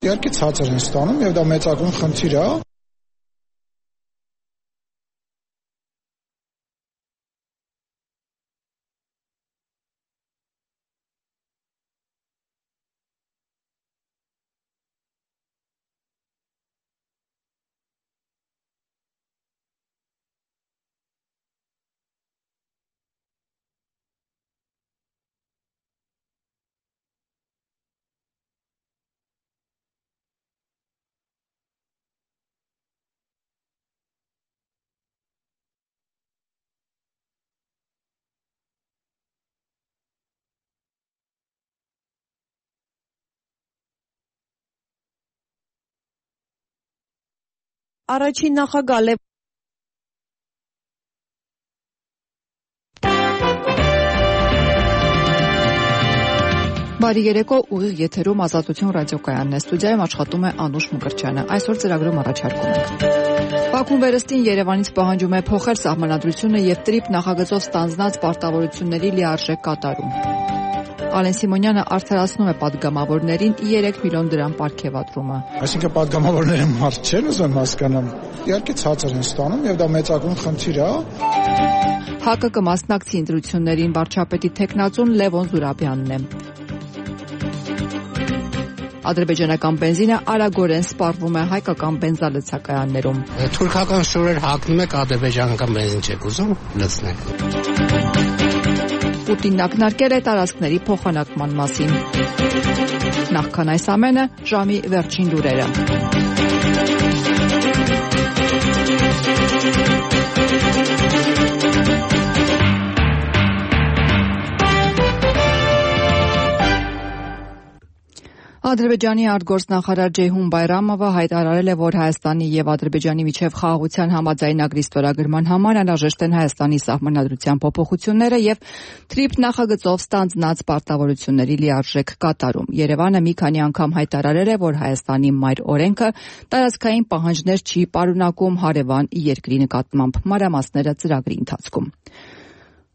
Իհարկե ցածր են ստանում եւ դա մեծագույն խնդիր է։ Առաջին նախագահ Լևոն Բարի երեկո, ուղիղ եթերում Ազատություն ռադիոկայանն է, ստուդիայում աշխատում է Անուշ Մկրտչյանը։ Այսօր ծրագրում առաջարկում ենք. Բաքուն վերստին Երևանից պահանջում է փոխել սահմանադրությունը եւ տրիպ նախագծով ստանձնած պարտավորությունների լիարժեք կատարում։ Ալեն Սիմոնյանը արդարացնում է պատգամավորներին 3 միլիոն դրամ պարգևատրումը։ Այսինքն պատգամավորները մարդ չեն ուզում հասկանամ։ Իհարկե ցածր են ստանում եւ դա մեծագույն խնդիր է։ ՀԱԿ-ը կմասնակցի ընտրություններին, վարչապետի թեկնածուն Լևոն Զուրաբյանն է։ Ադրբեջանական բենզինը արագորեն սպառվում է հայկական բենզալցակայաններում։ Թուրքական շորեր հագնում եք, ադրբեջանական բենզին չեք ուզում լցնել։ Պուտինն ակնարկել է տարածքների փոխանակման մասին։ Նախքան այս ամենը, ժամի վերջին լուրերը։ Ադրբեջանի արտգործնախարար Ջեյհուն Բայրամովը հայտարարել է, որ Հայաստանի եւ Ադրբեջանի միջև խաղաղության համաձայնագրի ստորագրման համար անհրաժեշտ են Հայաստանի սահմանադրության փոփոխությունները եւ տրիպ նախագծով ստանձնած պարտավորությունների լիարժեք կատարում։ Երևանը մի քանի անգամ հայտարարել է, որ Հայաստանի մայր օրենքը տարածքային պահանջներ չի պարունակում հարևան երկրի նկատմամբ։ Մանրամասները ծրագրի ընթացքում։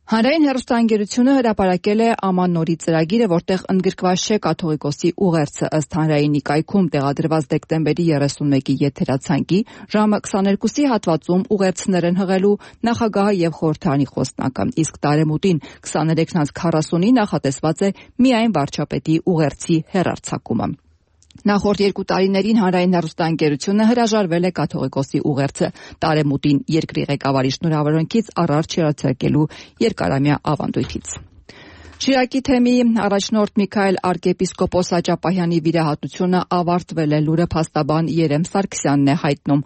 Հանրային հեռուստաընկերությունը հրապարակել է ամանորի ծրագիրը, որտեղ ընդգրկված չէ կաթողիկոսի ուղերձը ըստ հանրայինի կայքում տեղադրված դեկտեմբերի 31-ի եթերացանկի ժամը 22-ի հատվածում ուղերձներ են հղելու նախագահը եւ խորհրդարանի խոսնակը, իսկ տարեմուտին 23:40-ի նախատեսված է միայն վարչապետի ուղերձի հեռարձակումը։ Նախորդ 2 տարիներին հանրային հեռուստաընկերությունը հրաժարվել է կաթողիկոսի ուղերձը տարեմուտին երկրի ղեկավարի շնորհավորանքից առարջ հեռարձակելու երկարամյա ավանդույթից։ Շիրակի թեմի առաջնորդ Միքայել arczepiskopos Աճապահյանի վիրահատությունը ավարտվել է, լուրը փաստաբան Երեմ Սարգսյանն է հայտնում։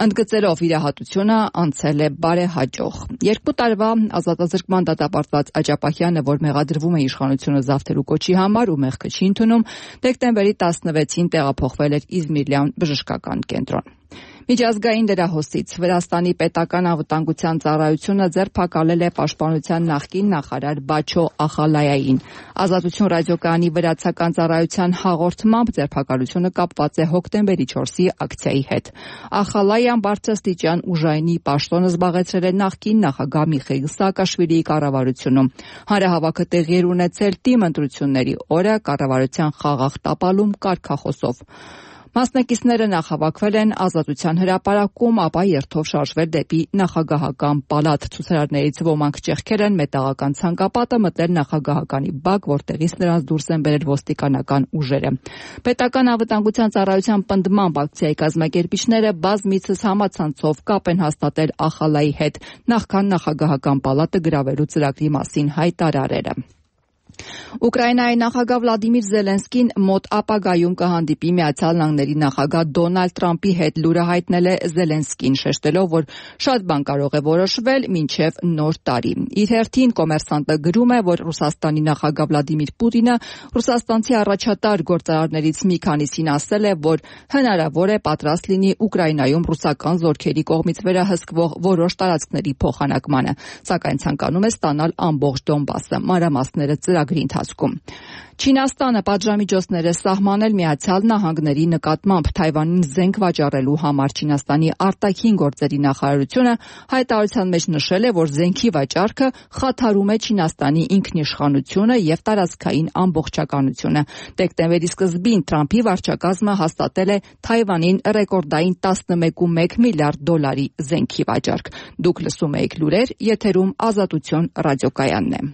Ընդգծելով վիրահատությունը անցել է բարեհաջող։ 2 տարվա ազատազրկման դատապարտված Աճապահյանը, որ մեղադրվում է իշխանությունը զավթելու կոչի համար ու մեղքը չի ընդունում, դեկտեմբերի 16-ին տեղափոխվել էր Իզմիրյան բժշկական կենտրոն։ Միջազգային լրահոսից Վրաստանի պետական անվտանգության ծառայությունը ձերբակալել է պաշտպանության նախկին նախարար Բաչո Ախալայային։ Ազատություն ռադիոկայանի վրացական ծառայության հաղորդմամբ ձերբակալությունը կապված է հոկտեմբերի 4-ի ակցիայի հետ։ Ախալայան բարձրաստիճան ուժայինի պաշտոնը զբաղեցրել է նախկին նախագահ Միխեիլ Սաակաշվիլիի կառավարությունում։ Հանրահավաքը տեղի էր ունեցել թիմ ընտրությունների օրը կառավարության խաղաղ տապալում կարգախոսով։ Մասնակիցները նախավաքվել են Ազատության հրապարակում, ապա երթով շարժվել դեպի նախագահական պալատ։ Ցուցարարներից ոմանք ճեղքել են մետաղական ցանկապատը, մտել նախագահականի բակ, որտեղից նրանց դուրս են բերել ոստիկանական ուժերը։ Պետական անվտանգության ծառայության պնդմամբ ակցիայի կազմակերպիչները բազմիցս համացանցով կապ են հաստատել Ախալայի հետ, նախքան նախագահական պալատը գրավելու ծրագրի մասին հայտարարել։ Ուկրաինայի նախագահ Վլադիմիր Զելենսկին մոտ ապագայում կհանդիպի Միացյալ Նահանգների նախագահ Դոնալդ Թրամփի հետ, լուրը հայտնել է Զելենսկին, շեշտելով, որ շատ բան կարող է որոշվել մինչև նոր տարի։ Իր հերթին Կոմերսանտը գրում է, որ Ռուսաստանի նախագահ Վլադիմիր Պուտինը ռուսաստանցի առաջատար գործարարներից մի քանիսին ասել է, որ հնարավոր է պատրաստ լինի Ուկրաինայում ռուսական զորքերի կողմից վերահսկվող որոշ տարածքների փոխանակմանը, սակայն ցանկանում է ստանալ ամբողջ Դոնբասը։ Մանրամասները ծրագրի ծրագրի ընթացքում։ Չինաստանը պատժամիջոցներ է սահմանել Միացյալ Նահանգների նկատմամբ Թայվանին զենք վաճառելու համար։ Չինաստանի արտաքին գործերի նախարարությունը հայտարարության մեջ նշել է, որ զենքի վաճառքը խաթարում է Չինաստանի ինքնիշխանությունը եւ տարածքային ամբողջականությունը։ Դեկտեմբերի սկզբին Թրամփի վարչակազմը հաստատել է Թայվանին ռեկորդային 11.1 միլիարդ դոլարի զենքի վաճառք։ Դուք լսում եք լուրեր, եթերում Ազատություն ռադիոկայանն է։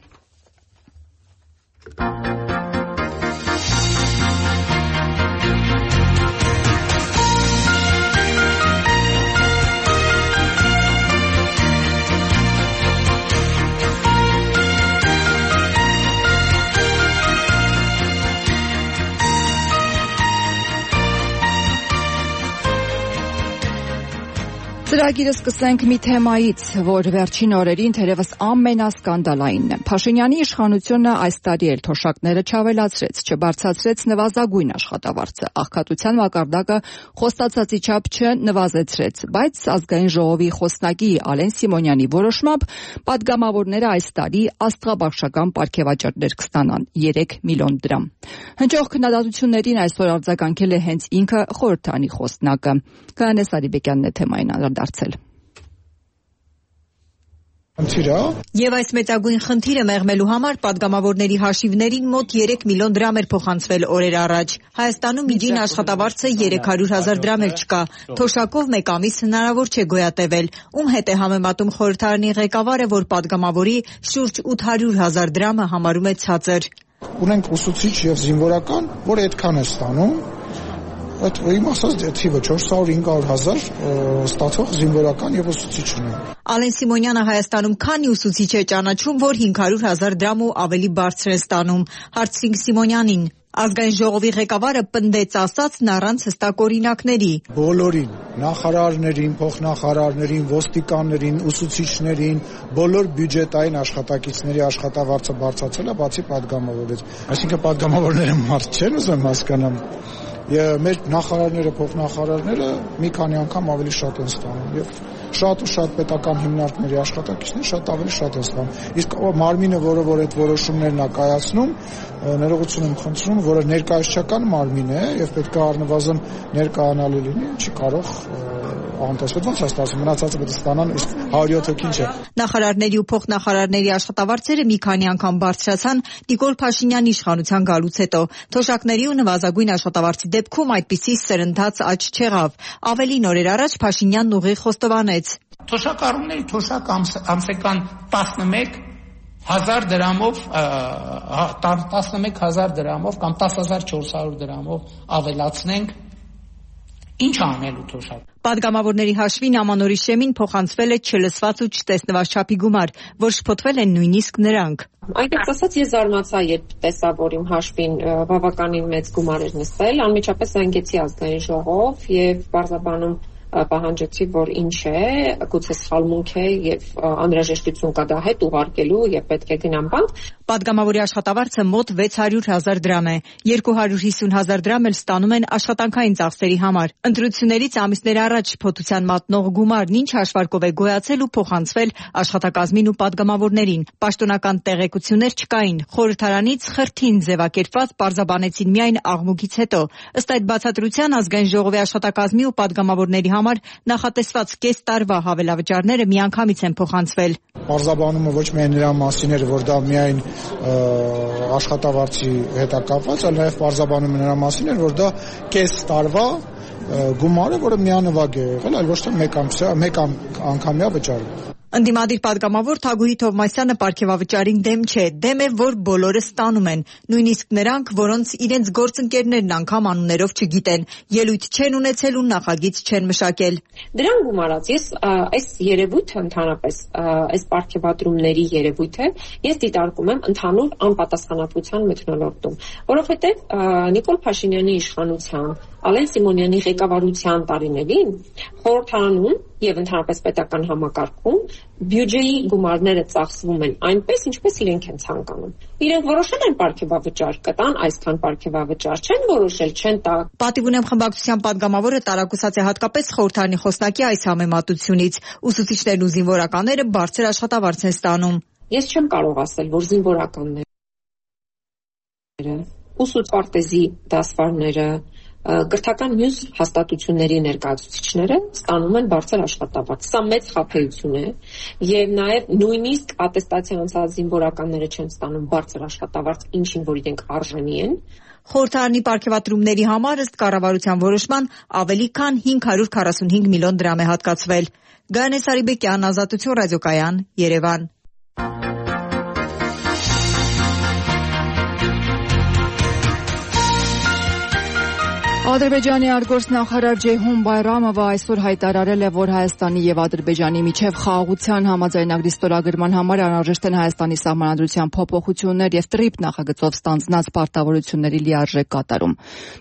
Ծրագիրը սկսենք մի թեմայից, որ վերջին օրերին թերևս ամենասկանդալայինն է։ Փաշինյանի իշխանությունը այս տարի էլ թոշակները չավելացրեց, չբարձրացրեց նվազագույն աշխատավարձը, աղքատության մակարդակը խոստացածի չափ չնվազեցրեց, բայց ազգային ժողովի խոսնակի Ալեն Սիմոնյանի որոշմամբ պատգամավորները այս տարի աստղաբաշխական պարգևաճառներ կստանան 3 միլիոն դրամ։ Հնչող քննադատություններին այսօր արձագանքել է հենց ինքը խորհրդարանի խոսնակը։ Կանե Սարիբեկյանն է թեմային անդրադարձել։ Եվ այս մեծագույն խնդիրը մեղմելու համար պատգամավորների հաշիվներին մոտ 3 միլիոն դրամ էր փոխանցվել օրեր առաջ։ Հայաստանում միջին աշխատավարձը 300,000 դրամ էլ չկա։ Թոշակով մեկ ամիս հնարավոր չէ գոյատևել։ Ում հետ է համեմատում խորհրդարանի ղեկավարը, որ պատգամավորի շուրջ 800,000 դրամը համարում է ցածր։ Ունենք ուսուցիչ եւ զինվորական, որ այդքան է ստանում։ Այդ իմ ասած թիվը 400-500,000 ստացող զինվորական եւ ուսուցիչն է։ Ալեն Սիմոնյանը Հայաստանում քանի ուսուցիչ է ճանաչում, որ 500,000 դրամ ու ավելի բարձր է ստանում։ Հարցրինք Սիմոնյանին։ Ազգային ժողովի ղեկավարը պնդեց ասածն առանց հստակ օրինակների։ Բոլորին, նախարարներին, փոխնախարարներին, ոստիկաններին, ուսուցիչներին, բոլոր բյուջետային աշխատակիցների աշխատավարձը բարձրացել է, բացի պատգամավորից։ Այսինքն պատգամավորները մարդ չեն, ուզում հասկանամ։ Մեր նախարարները, փոխնախարարները մի քանի անգամ ավելի շատ են ստանում եւ շատ ու շատ պետական հիմնարկների աշխատակիցները շատ ավելի շատ են ստանում։ Իսկ մարմինը, որ այդ որոշումներն է կայացնում, ներողություն եմ խնդրում, որը ներկայացչական մարմին է եւ պետք է առնվազն ներկայանալու լինի, չի կարող անտեսվել, ոնց է ստացվում, մնացածը պետք է ստանան, իսկ 107 հոգին չէ։ Նախարարների ու փոխնախարարների աշխատավարձերը մի քանի անգամ բարձրացան Նիկոլ Փաշինյանի իշխանության գալուց հետո։ Թոշակների ու նվազագույն աշխատավարձի դեպքում այդպիսի սրընթաց աճ չեղավ։ Ավելին օրեր առաջ Փաշինյանն ուղիղ խոստովանեց. Թոշակառուների թոշակ ամսական 11,000 դրամով 11,000 դրամով կամ 10,400 դրամով ավելացնենք, ինչ անելու թոշակ։ Պատգամավորների հաշվին ամանորի շեմին փոխանցվել է չլսված ու չտեսնված չափի գումար, որ շփոթվել են նույնիսկ նրանք։ Այնպես ասած, ես զարմացա, երբ տեսա, որ իմ հաշվին բավականին մեծ գումար էր նստել, անմիջապես զանգեցի ազգային ժողով եւ բարձրաբանում պահանջեցի, որ ինչ է, գուցե սխալմունք է եւ անհրաժեշտություն կա դա հետ ուղարկելու եւ պետք է գնամ բանկ։ Պատգամավորի աշխատավարձը մոտ 600,000 դրամ է, 250,000 դրամ էլ ստանում են աշխատանքային ծախսերի համար։ Ընտրություններից ամիսներ առաջ շփոթության մատնող գումարն ինչ հաշվարկով է գոյացել ու փոխանցվել աշխատակազմին ու պատգամավորներին։ Պաշտոնական տեղեկություններ չկային։ Խորհրդարանից խրթին ձևակերպված պարզաբանեցին միայն աղմուկից հետո։ Ըստ այդ բացատրության ազգային ժողովի աշխատակազմի ու պատգամավորների համար նախատեսված կես տարվա հավելավճարները միանգամից են փոխանցվել։ Պարզաբանումը ոչ միայն նրա մասին էր, որ դա միայն աշխատավարձի հետ է կապված, այլ նաև պարզաբանումը նրա մասին էր, որ դա կես տարվա գումար է, որը միանվագ է եղել, այլ ոչ թե մեկ անգամյա վճար։ Ընդդիմադիր պատգամավոր Թագուհի Թովմասյանը պարգևավճարին դեմ չէ, դեմ է, որ բոլորը ստանում են, նույնիսկ նրանք, որոնց իրենց գործընկերներն անգամ անուններով չգիտեն, ելույթ չեն ունեցել ու նախագիծ չեն մշակել։ Դրան գումարած ես այս երևույթը ընդհանրապես այս պարգևատրումների երևույթը ես դիտարկում եմ ընդհանուր անպատասխանատվության մթնոլորտում, որովհետև Նիկոլ Փաշինյանի իշխանության, Ալեն Սիմոնյանի ղեկավարության տարիներին խորհրդարանում եւ ընդհանրապես պետական համակարգում բյուջեի գումարները ծախսվում են այնպես, ինչպես իրենք են ցանկանում։ Իրենք որոշել են պարգևավճար կտան, այսքան պարգևավճար չեն որոշել, չեն տա։ Պատիվ ունեմ խմբակցության պատգամավորը տարակուսած է հատկապես խորհրդարանի խոսնակի այս համեմատությունից։ Ուսուցիչներն ու զինվորականները բարձր աշխատավարձ են ստանում։ Ես չեմ կարող ասել, որ զինվորականներ ուսուցպարտեզի դասվարները, կրթական մյուս հաստատությունների ներկայացուցիչները ստանում են բարձր աշխատավարձ։ Սա մեծ խաբեություն է եւ նաեւ նույնիսկ ատեստացիա անցած զինվորականները չեն ստանում բարձր աշխատավարձ, ինչին որ իրենք արժանի են։ Խորհրդարանի պարգևատրումների համար ըստ կառավարության որոշման ավելի քան 545 միլիոն դրամ է հատկացվել։ Գայանե Սարիբեկյան, Ազատություն ռադիոկայան, Երևան։ Ադրբեջանի արտգործնախարար Ջեյհուն Բայրամովը այսօր հայտարարել է, որ Հայաստանի եւ Ադրբեջանի միջև խաղաղության համաձայնագրի ստորագրման համար անհրաժեշտ են Հայաստանի սահմանադրության փոփոխություններ եւ ՏՌԻՊ նախագծով ստանձնած պարտավորությունների լիարժեք կատարում։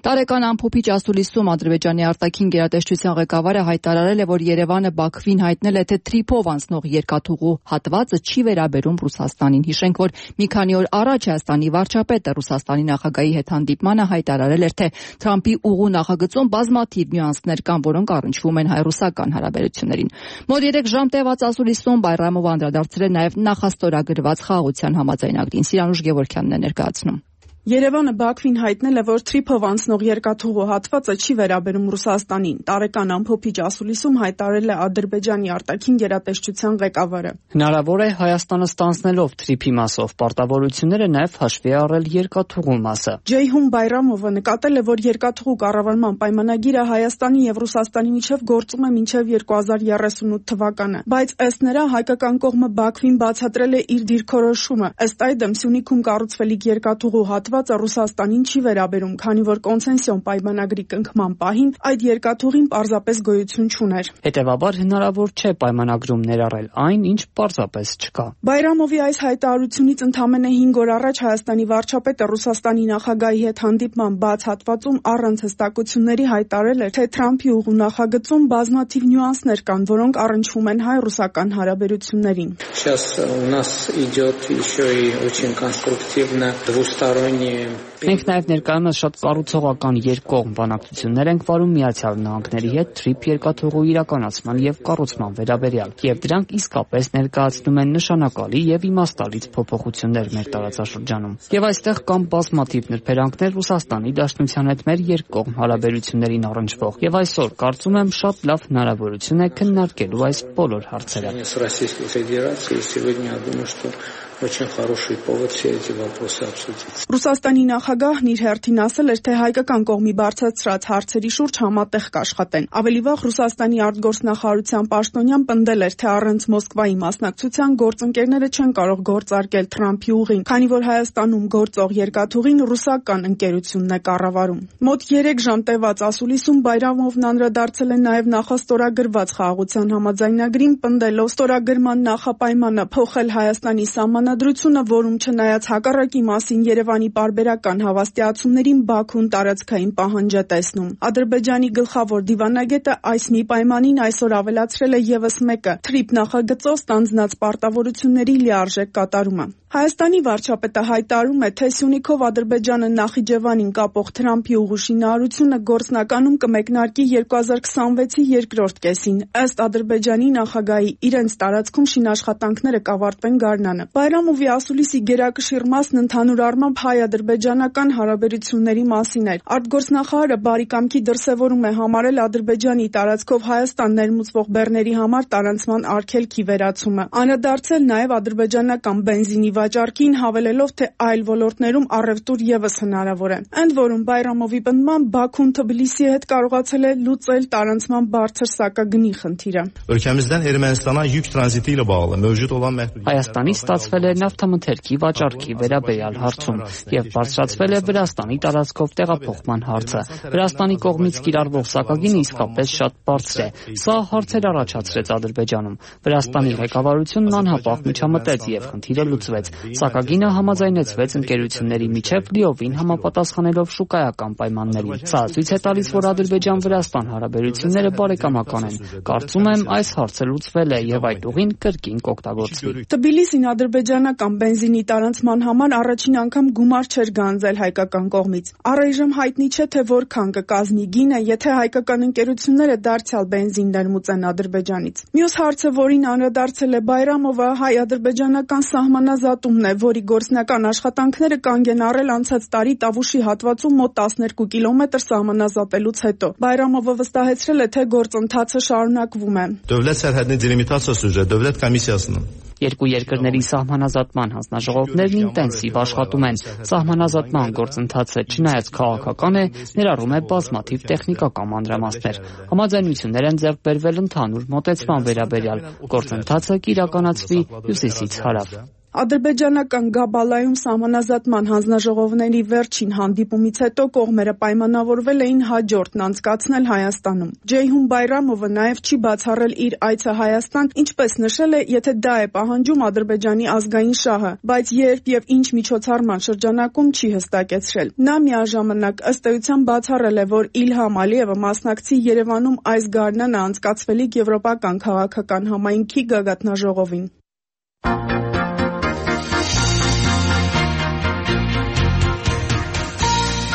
Տարեկան ամփոփիչ ասուլիսում Ադրբեջանի արտաքին գերատեսչության ղեկավարը հայտարարել է, որ Երևանը Բաքվին հայտնել է, թե ՏՌԻՊ-ով անցնող երկաթուղու հատվածը չի վերաբերում Ռուսաստանին։ Հիշենք, որ մի քանի օր առաջ Հայաստանի վարչապետը Ռուսաստանի նախագահի հետ հանդիպմանը հայտարարել էր, թե Թրամփի ուղու նախագծում բազմաթիվ նյուանսներ կան, որոնք առնչվում են հայ-ռուսական հարաբերություններին։ Մոտ 3 ժամ տևած ասուլիսում Բայրամովը անդրադարձել է նաև նախաստորագրված խաղաղության համաձայնագրին։ Սիրանուշ Գևորգյանն է ներկայացնում։ Երևանը Բաքվին հայտնել է, որ ԹՐԻՊ-ով անցնող երկաթուղու հատվածը չի վերաբերում Ռուսաստանին։ Տարեկան ամփոփիչ ասուլիսում հայտարարել է Ադրբեջանի արտաքին գերատեսչության ղեկավարը։ Հնարավոր է Հայաստանը ստանձնելով ԹՐԻՊ-ի մասով պարտավորությունները նաև հաշվի առել երկաթուղու մասը։ Ջեյհուն Բայրամովը նկատել է, որ երկաթուղու կառավարման պայմանագիրը Հայաստանի եւ Ռուսաստանի միջև գործում է մինչև 2038 թվականը, բայց ըստ նրա հայկական կողմը Բաքվին բացատրել է իր դիրքորոշումը։ Ըստ այդմ Սյունիքում կառուցվելիք երկաթուղու հատվածը Ռուսաստանին չի վերաբերում, քանի որ կոնցեսիոն պայմանագրի կնքման պահին այդ երկաթուղին պարզապես գոյություն չուներ։ Հետևաբար հնարավոր չէ պայմանագրում ներառել այն, ինչ պարզապես չկա։ Բայրամովի այս հայտարարությունից ընդամենը 5 օր առաջ Հայաստանի վարչապետը Ռուսաստանի նախագահի հետ հանդիպման բաց հատվածում առանց հստակությունների հայտարարել էր, թե Թրամփի ուղու նախագծում բազմաթիվ նյուանսներ կան, որոնք առնչվում են հայ-ռուսական հարաբերություններին։ Сейчас у нас идет еще и очень конструктивно двусторонний. Մենք նաև ներկայումս շատ կառուցողական երկկողմ բանակցություններ ենք վարում Միացյալ Նահանգների հետ ԹՐԻՊ երկաթուղու իրականացման եւ կառուցման վերաբերյալ, եւ դրանք իսկապես ներկայացնում են նշանակալի եւ իմաստալից փոփոխություններ մեր տարածաշրջանում։ Եվ այստեղ կան բազմաթիվ նրբերանգներ Ռուսաստանի Դաշնության հետ մեր երկկողմ հարաբերություններին առնչվող, եւ այսօր կարծում եմ շատ լավ հնարավորություն է քննարկելու այս բոլոր հարցերը։ Очень хороший повод все эти вопросы обсудить. Ռուսաստանի նախագահն իր հերթին ասել էր, թե հայկական կողմի բարձրացրած հարցերի շուրջ համատեղ կաշխատեն։ Ավելի վաղ Ռուսաստանի արտգործնախարարության պաշտոնյան պնդել էր, թե առանց Մոսկվայի մասնակցության գործընկերները չեն կարող գործարկել Թրամփի ուղին, քանի որ Հայաստանում գործող երկաթուղին ռուսական ընկերությունն է կառավարում։ Մոտ 3 ժամ տևած ասուլիսում Բայրամովն անդրադարձել է նաև նախաստորագրված խաղաղության համաձայնագրին, պնդելով ստորագրման նախապայմանը փոխել Հայաստանի Ադրությունը, որում չնայած հակառակի մասին Երևանի պարբերական հավաստիացումներին Բաքուն տարածքային պահանջ է տեսնում։ Ադրբեջանի գլխավոր դիվանագետը այս մի պայմանին այսօր ավելացրել է ևս մեկը՝ ԹՐԻՊ նախագծով ստանձնած պարտավորությունների լիարժեք կատարումը։ Հայաստանի վարչապետը հայտարարում է, թե Սյունիքով Ադրբեջանը Նախիջևանին կապող Թրամփի ուղու շինարարությունը գործնականում կմեկնարկի 2026-ի երկրորդ կեսին։ Ըստ Ադրբեջանի նախագահի, իրենց տարածքում շինաշխատանքները կավարտվեն գարնանը։ Բայրամովի ասուլիսի գերակշիռ մասն ընդհանուր առմամբ հայ-ադրբեջանական հարաբերությունների մասին էր։ Արտգործնախարարը բարի կամքի դրսևորում է համարել Ադրբեջանի տարածքով Հայաստան ներմուծվող բեռների համար տարանցման արգելքի վերացումը։ Անդրադարձել նաև ադրբեջանական բենզինի վաճառքին, հավելելով, թե այլ ոլորտներում առևտուր ևս հնարավոր է։ Ընդ որում Բայրամովի պնդմամբ Բաքուն Թբիլիսիի հետ կարողացել է լուծել տարանցման բարձր սակագնի խնդիրը։ Ölkəmizdən Ermənistana yük tranziti ilə bağlı mövcud olan Հայաստանից ստացվել է նավթամթերքի վաճառքի վերաբերյալ հարցում եւ բարձրացվել է Վրաստանի տարածքով տեղափոխման հարցը։ Վրաստանի կողմից կիրառվող սակագինը իսկապես շատ բարձր է։ Սա հարցեր առաջացրեց Ադրբեջանում։ Վրաստանի ղեկավարությունն անհապաղ միջամտեց եւ խնդիրը լուծվեց։ Սակագինը համաձայնեցվեց ընկերությունների միջև լիովին համապատասխանելով շուկայական պայմաններին։ Սա ցույց է տալիս, որ Ադրբեջան-Վրաստան հարաբերությունները բարեկամական են։ Կարծում եմ, այս հարցը լուծվել է եւ այդ ուղին կրկին կօգտագործվի։ Թբիլիսին Ադրբեջանի ադրբեջանական բենզինի տարանցման համար առաջին անգամ գումար չէր գանձել հայկական կողմից։ Առայժմ հայտնի չէ, թե որքան կկազմի գինը, եթե հայկական ընկերությունները դարձյալ բենզին ներմուծեն Ադրբեջանից։ Մյուս հարցը, որին անդրադարձել է Բայրամովը, հայ-ադրբեջանական սահմանազատումն է, որի գործնական աշխատանքները կանգ են առել անցած տարի Տավուշի հատվածում մոտ 12 կիլոմետր սահմանազատելուց հետո։ Բայրամովը վստահեցրել է, թե գործընթացը շարունակվում է։ Դովլետ սərhədini delimitasiya üzrə Dövlət Komissiyasının Երկու երկրների սահմանազատման հանձնաժողովներն ինտենսիվ աշխատում են։ Սահմանազատման գործընթացը չնայած քաղաքական է, ներառում է բազմաթիվ տեխնիկական մանրամասներ։ Համաձայնություններ են ձեռք բերվել ընդհանուր մոտեցման վերաբերյալ։ Գործընթացը կիրականացվի հյուսիսից հարավ։ Ադրբեջանական Գաբալայում սահմանազատման հանձնաժողովների վերջին հանդիպումից հետո կողմերը պայմանավորվել էին հաջորդն անցկացնել Հայաստանում։ Ջեյհուն Բայրամովը նաև չի բացառել իր այցը Հայաստան, ինչպես նշել է, եթե դա է պահանջում Ադրբեջանի ազգային շահը, բայց երբ եւ ինչ միջոցառման շրջանակում չի հստակեցրել։ Նա միաժամանակ ըստ էության բացառել է, որ Իլհամ Ալիևը մասնակցի Երևանում այս գարնանը անցկացվելիք եվրոպական քաղաքական համայնքի գագաթնաժողովին։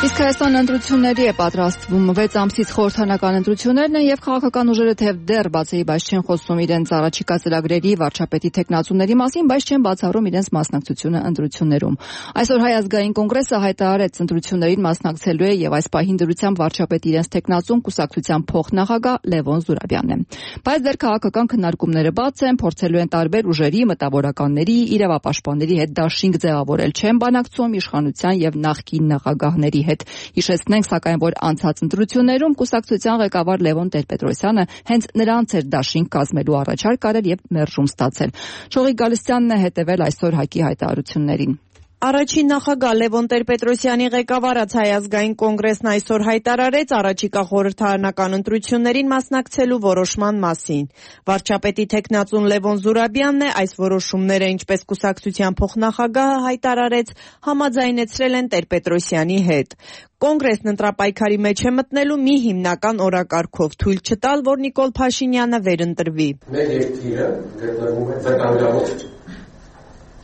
Իսկ Հայաստան ընտրությունների է պատրաստվում 6 ամսից խորհրդանական ընտրություններն են եւ քաղաքական ուժերը թեև դեռ բացի բայց չեն խոսում իրենց առաջիկա ծրագրերի վարչապետի թեկնածուների մասին, բայց չեն բացառում իրենց մասնակցությունը ընտրություններում։ Այսօր Հայ ազգային կոնգրեսը հայտարարեց ընտրություններին մասնակցելու է եւ այս պահին դրությամբ վարչապետի իրենց թեկնածուն կուսակցության փոխնախագահ Լևոն Զուրաբյանն է։ Բայց դեռ քաղաքական քննարկումները բաց են, փորձելու են տարբեր ուժերի, մտավորականների, իրավապաշտպանների հետ դաշինք ձևավորել, չեն բանակցում իշխանության եւ նախկին նախագահների հետ։ Հիշեցնենք, սակայն, որ անցած ընտրություններում կուսակցության ղեկավար Լևոն Տեր-Պետրոսյանը հենց նրանց էր դաշինք կազմելու առաջարկ արել եւ մերժում ստացել։ Շողիկ Գալստյանն է հետևել այսօր ՀԱԿ-ի հայտարարություններին։ Առաջին նախագահ Լևոն Տեր-Պետրոսյանի ղեկավարած Հայ ազգային կոնգրեսն այսօր հայտարարեց առաջիկա խորհրդարանական ընտրություններին մասնակցելու որոշման մասին։ Վարչապետի թեկնածուն Լևոն Զուրաբյանն է այս որոշումները, ինչպես կուսակցության փոխնախագահը հայտարարեց, համաձայնեցրել են Տեր-Պետրոսյանի հետ։ Կոնգրեսն ընտրապայքարի մեջ է մտնելու մի հիմնական օրակարգով թույլ չտալ, որ Նիկոլ Փաշինյանը վերընտրվի։ Մեր երկիրը գտնվում է վտանգավոր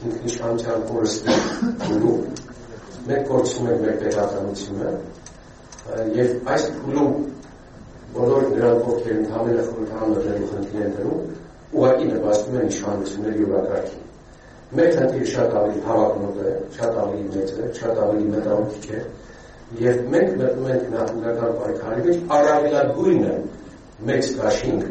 ինքնիշխանության կորստելու, մենք կորցնում ենք մեր պետականությունը եւ այս փուլում բոլոր նրանք, ովքեր ընդհանուր խորհրդարանական խնդիրներում ուղղակի նպաստում են իշխանությունների օրակարգին։ Մեր խնդիրը շատ ավելի հավակնոտ է, շատ ավելի մեծ է, շատ ավելի մտահոգիչ է եւ մենք մտնում ենք նախնական պայքարի մեջ առավելագույնը մեծ դաշինք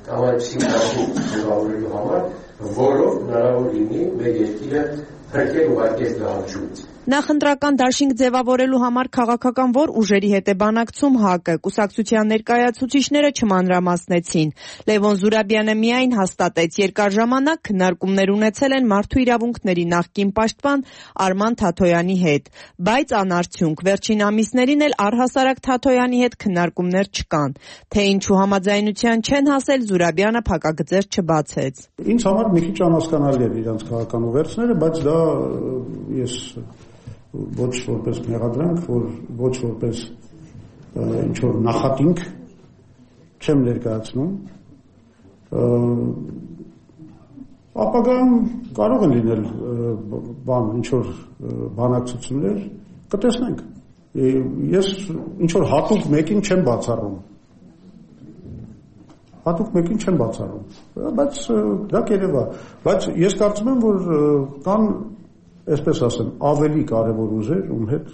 կամ այսպիսի դաշինք ձևավորելու համար, որով հնարավոր լինի մեր երկիրը փրկել ուղարկել դահանջումից։ Նախընտրական դաշինք ձևավորելու համար քաղաքական որ ուժերի հետ է բանակցում ՀԱԿ-ը, կուսակցության ներկայացուցիչները չմանրամասնեցին։ Լևոն Զուրաբյանը միայն հաստատեց, երկար ժամանակ քննարկումներ ունեցել են մարդու իրավունքների նախկին պաշտպան Արման Թաթոյանի հետ, բայց անարդյունք։ Վերջին ամիսներին էլ առհասարակ Թաթոյանի հետ քննարկումներ չկան։ Թե ինչու համաձայնության չեն հասել, Զուրաբյանը փակագծեր չբացեց։ Ինձ համար մի քիչ անհասկանալի է իրանց քաղաքական ուղերձները, բայց դա ես ոչ որպես մեղադրանք, ոչ որպես ինչ-որ նախատինք չեմ ներկայացնում, ապագայում կարող են լինել ինչ-որ բանակցություններ, կտեսնենք, ես ինչ-որ հատուկ մեկին չեմ բացառում, բայց դա կերևա, բայց ես կարծում եմ, որ կան այսպես ասեմ, ավելի կարևոր ուժեր, ում հետ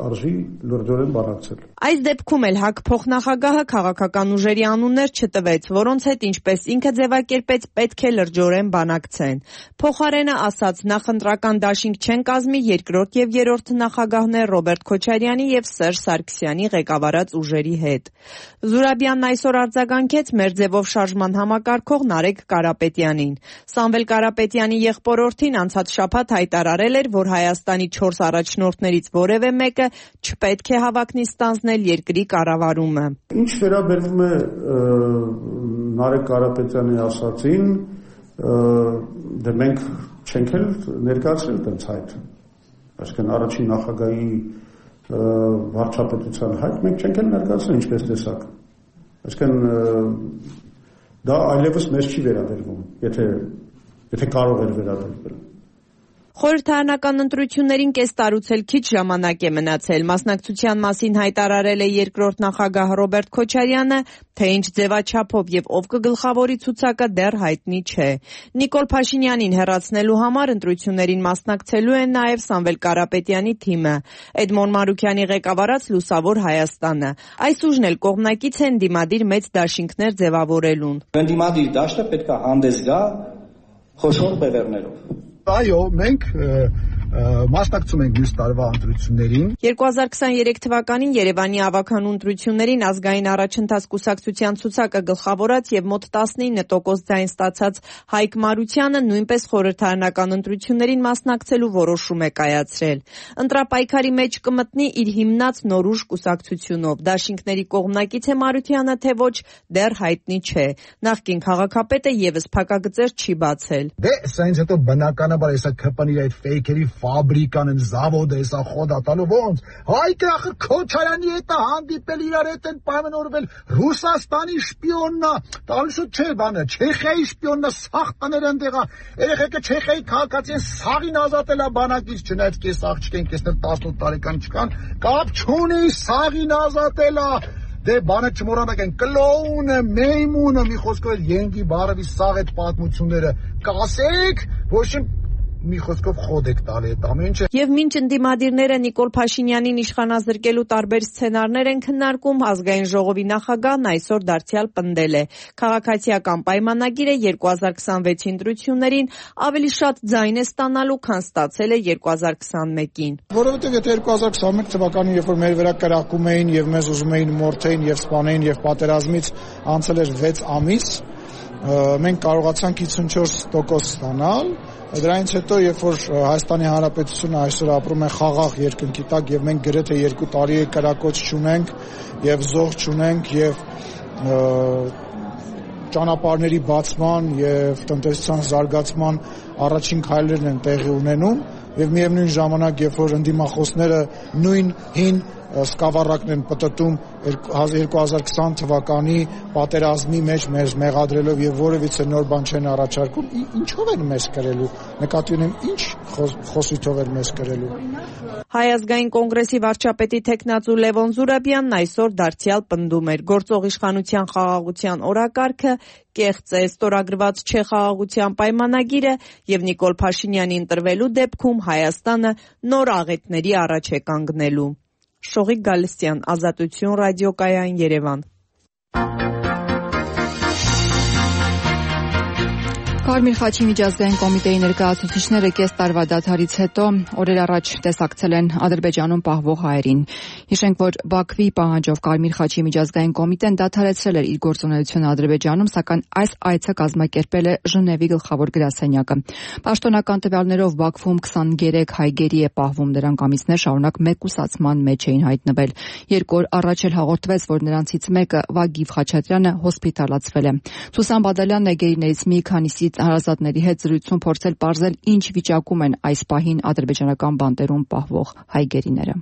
արժի լրջորեն բանակցել։ Այս դեպքում էլ ՀԱԿ փոխնախագահը քաղաքական ուժերի անուններ չտվեց, որոնց հետ ինչպես ինքը ձևակերպեց, պետք է լրջորեն բանակցեն։ Փոխարենը ասաց, նախընտրական դաշինք չեն կազմի երկրորդ եւ երրորդ նախագահներ Ռոբերտ Քոչարյանի եւ Սերժ Սարգսյանի ղեկավարած ուժերի հետ։ Զուրաբյանն այսօր արձագանքեց մեր ձևով շարժման համակարգող Նարեկ Կարապետյանին։ Սամվել Կարապետյանի եղբորորդին անցած շաբաթ հայտարարել էր, որ Հայաստանի 4 առաջնորդներից որևէ մեկը չպետք է հավակնի ստանձնել երկրի կառավարումը։ Ինչ վերաբերվում է Նարեկ Կարապետյանի ասացին, դե մենք չենք էլ ներկայացրել տենց հայտ։ Այսինքն առաջին նախագահի վարչապետության հայտ մենք չենք էլ ներկայացրել ինչպես տեսակ։ Այսինքն դա այլևս մեզ չի վերաբերվում, եթե կարող էր վերաբերվել։ Խորհրդարանական ընտրություններին կես տարուց էլ քիչ ժամանակ է մնացել։ Մասնակցության մասին հայտարարել է երկրորդ նախագահ Ռոբերտ Քոչարյանը, թե ինչ ձևաչափով եւ ով կգլխավորի ցուցակը դեռ հայտնի չէ։ Նիկոլ Փաշինյանին հեռացնելու համար ընտրություններին մասնակցելու է նաեւ Սամվել Կարապետյանի թիմը։ Էդմոն Մարուկյանի ղեկավարած Լուսավոր Հայաստանը։ Այս ուժն էլ կողմնակից են դիմադիր մեծ դաշինքներ ձևավորելուն։ Դիմադիր դաշտը պետք է հանդես գա խոշոր բևեռներով։ Այո, մենք մասնակցում ենք մյուս տարվա ընտրություններին։ 2023 թվականին Երևանի ավագանու ընտրություններին ազգային առաջընթաց կուսակցության ցուցակը գլխավորած եւ մոտ 19% ձայն ստացած Հայկ Մարությանը նույնպես խորհրդարանական ընտրություններին մասնակցելու որոշում է կայացրել։ Ընտրապայքարի մեջ կմտնի իր հիմնած Նորուժ կուսակցությունով։ Դաշինքների կողմնակից է Մարությանը, թե ոչ, դեռ հայտնի չէ։ Նախկին քաղաքապետը եւս փակագծեր չի բացել։ Դե սա ինձ հետո բնականաբար էսա քպանի այդ ֆեյքերի ֆաբրիկան են զավոդը էսա խոդա տալու ոնց Հայկը ախր Քոչարյանի հետ է հանդիպել իրար հետ են պայմանավորվել Ռուսաստանի շպիոննա տալուսու չէ բանը Չեխիայի շպիոննա սաղ տներ ընդեղա երեխեքը Չեխիայի քաղաքացի են սաղին ազատելա բանակից չնայած կես աղջիկ են կեսներ 18 տարեկան չկան կապ չունի սաղին ազատելա դե բանը չմոռանաք են կլոունը մեյմունը մի խոսքով ենգի բարովի սաղ այդ պատմությունները կասեք ոչ մի խոսքով խոդ եք տալի այդ ամեն ինչը։ Եվ մինչ ընդդիմադիրները Նիկոլ Փաշինյանին իշխանազրկելու տարբեր սցենարներ են քննարկում, ազգային ժողովի նախագահն այսօր դարձյալ պնդել է։ Քաղաքացիական պայմանագիրը 2026 ընտրություններին ավելի շատ ձայն է ստանալու, քան ստացել է 2021-ին։ Որովհետև եթե 2021 թվականին, երբ որ մեր վրա կրակում էին եւ մեզ ուզում էին մորթեին եւ սպանեին եւ պատերազմից անցել էր 6 ամիս, մենք կարողացանք 54% ստանալ։ Դրանից հետո, երբ որ Հայաստանի Հանրապետությունը այսօր ապրում է խաղաղ երկնքի տակ եւ մենք գրեթե 2 տարի է կրակոց չունենք եւ զոհ չունենք եւ ճանապարհների բացման եւ տնտեսության զարգացման առաջին քայլերն են տեղի ունենում եւ միևնույն ժամանակ, երբ որ ընդդիմախոսները նույն հին սկավառակն են պտտում 2020 թվականի պատերազմի մեջ մեզ մեղադրելով եւ որևիցե նոր բան չեն առաջարկում, ինչով են մեզ կրելու, նկատի ունեմ ինչ խոսույթով են մեզ կրելու։ Հայ ազգային կոնգրեսի վարչապետի թեկնածու Լևոն Զուրաբյանն այսօր դարձյալ պնդում էր գործող իշխանության խաղաղության օրակարգը կեղծ է, ստորագրված չէ խաղաղության պայմանագիրը եւ Նիկոլ Փաշինյանի ընտրվելու դեպքում Հայաստանը նոր աղետների առաջ է կանգնելու։ Շողիկ Գալստյան, Ազատություն ռադիոկայան, Երևան։ Կարմիր խաչի միջազգային կոմիտեի ներկայացուցիչները կես տարվա դադարից հետո օրեր առաջ տեսակցել են Ադրբեջանում պահվող հայերին։ Հիշենք, որ Բաքվի պահանջով Կարմիր խաչի միջազգային կոմիտեն դադարեցրել էր իր գործունեությունը Ադրբեջանում, սակայն այս այցը կազմակերպել է Ժնևի գլխավոր գրասենյակը։ Պաշտոնական տվյալներով Բաքվում 23 հայ գերի է պահվում, դրանք ամիսներ շարունակ մեկուսացման մեջ էին հայտնվել։ 2 օր առաջ էլ հաղորդվեց, որ նրանցից մեկը Վագիվ Խաչատրյանը հոսպիտալացվել է։ Սուսան Բադալյանն է գերիներից մի քանիսի հարազատների հետ զրույցում փորձել պարզել ինչ վիճակում են այս պահին ադրբեջանական բանտերում պահվող հայ գերիները։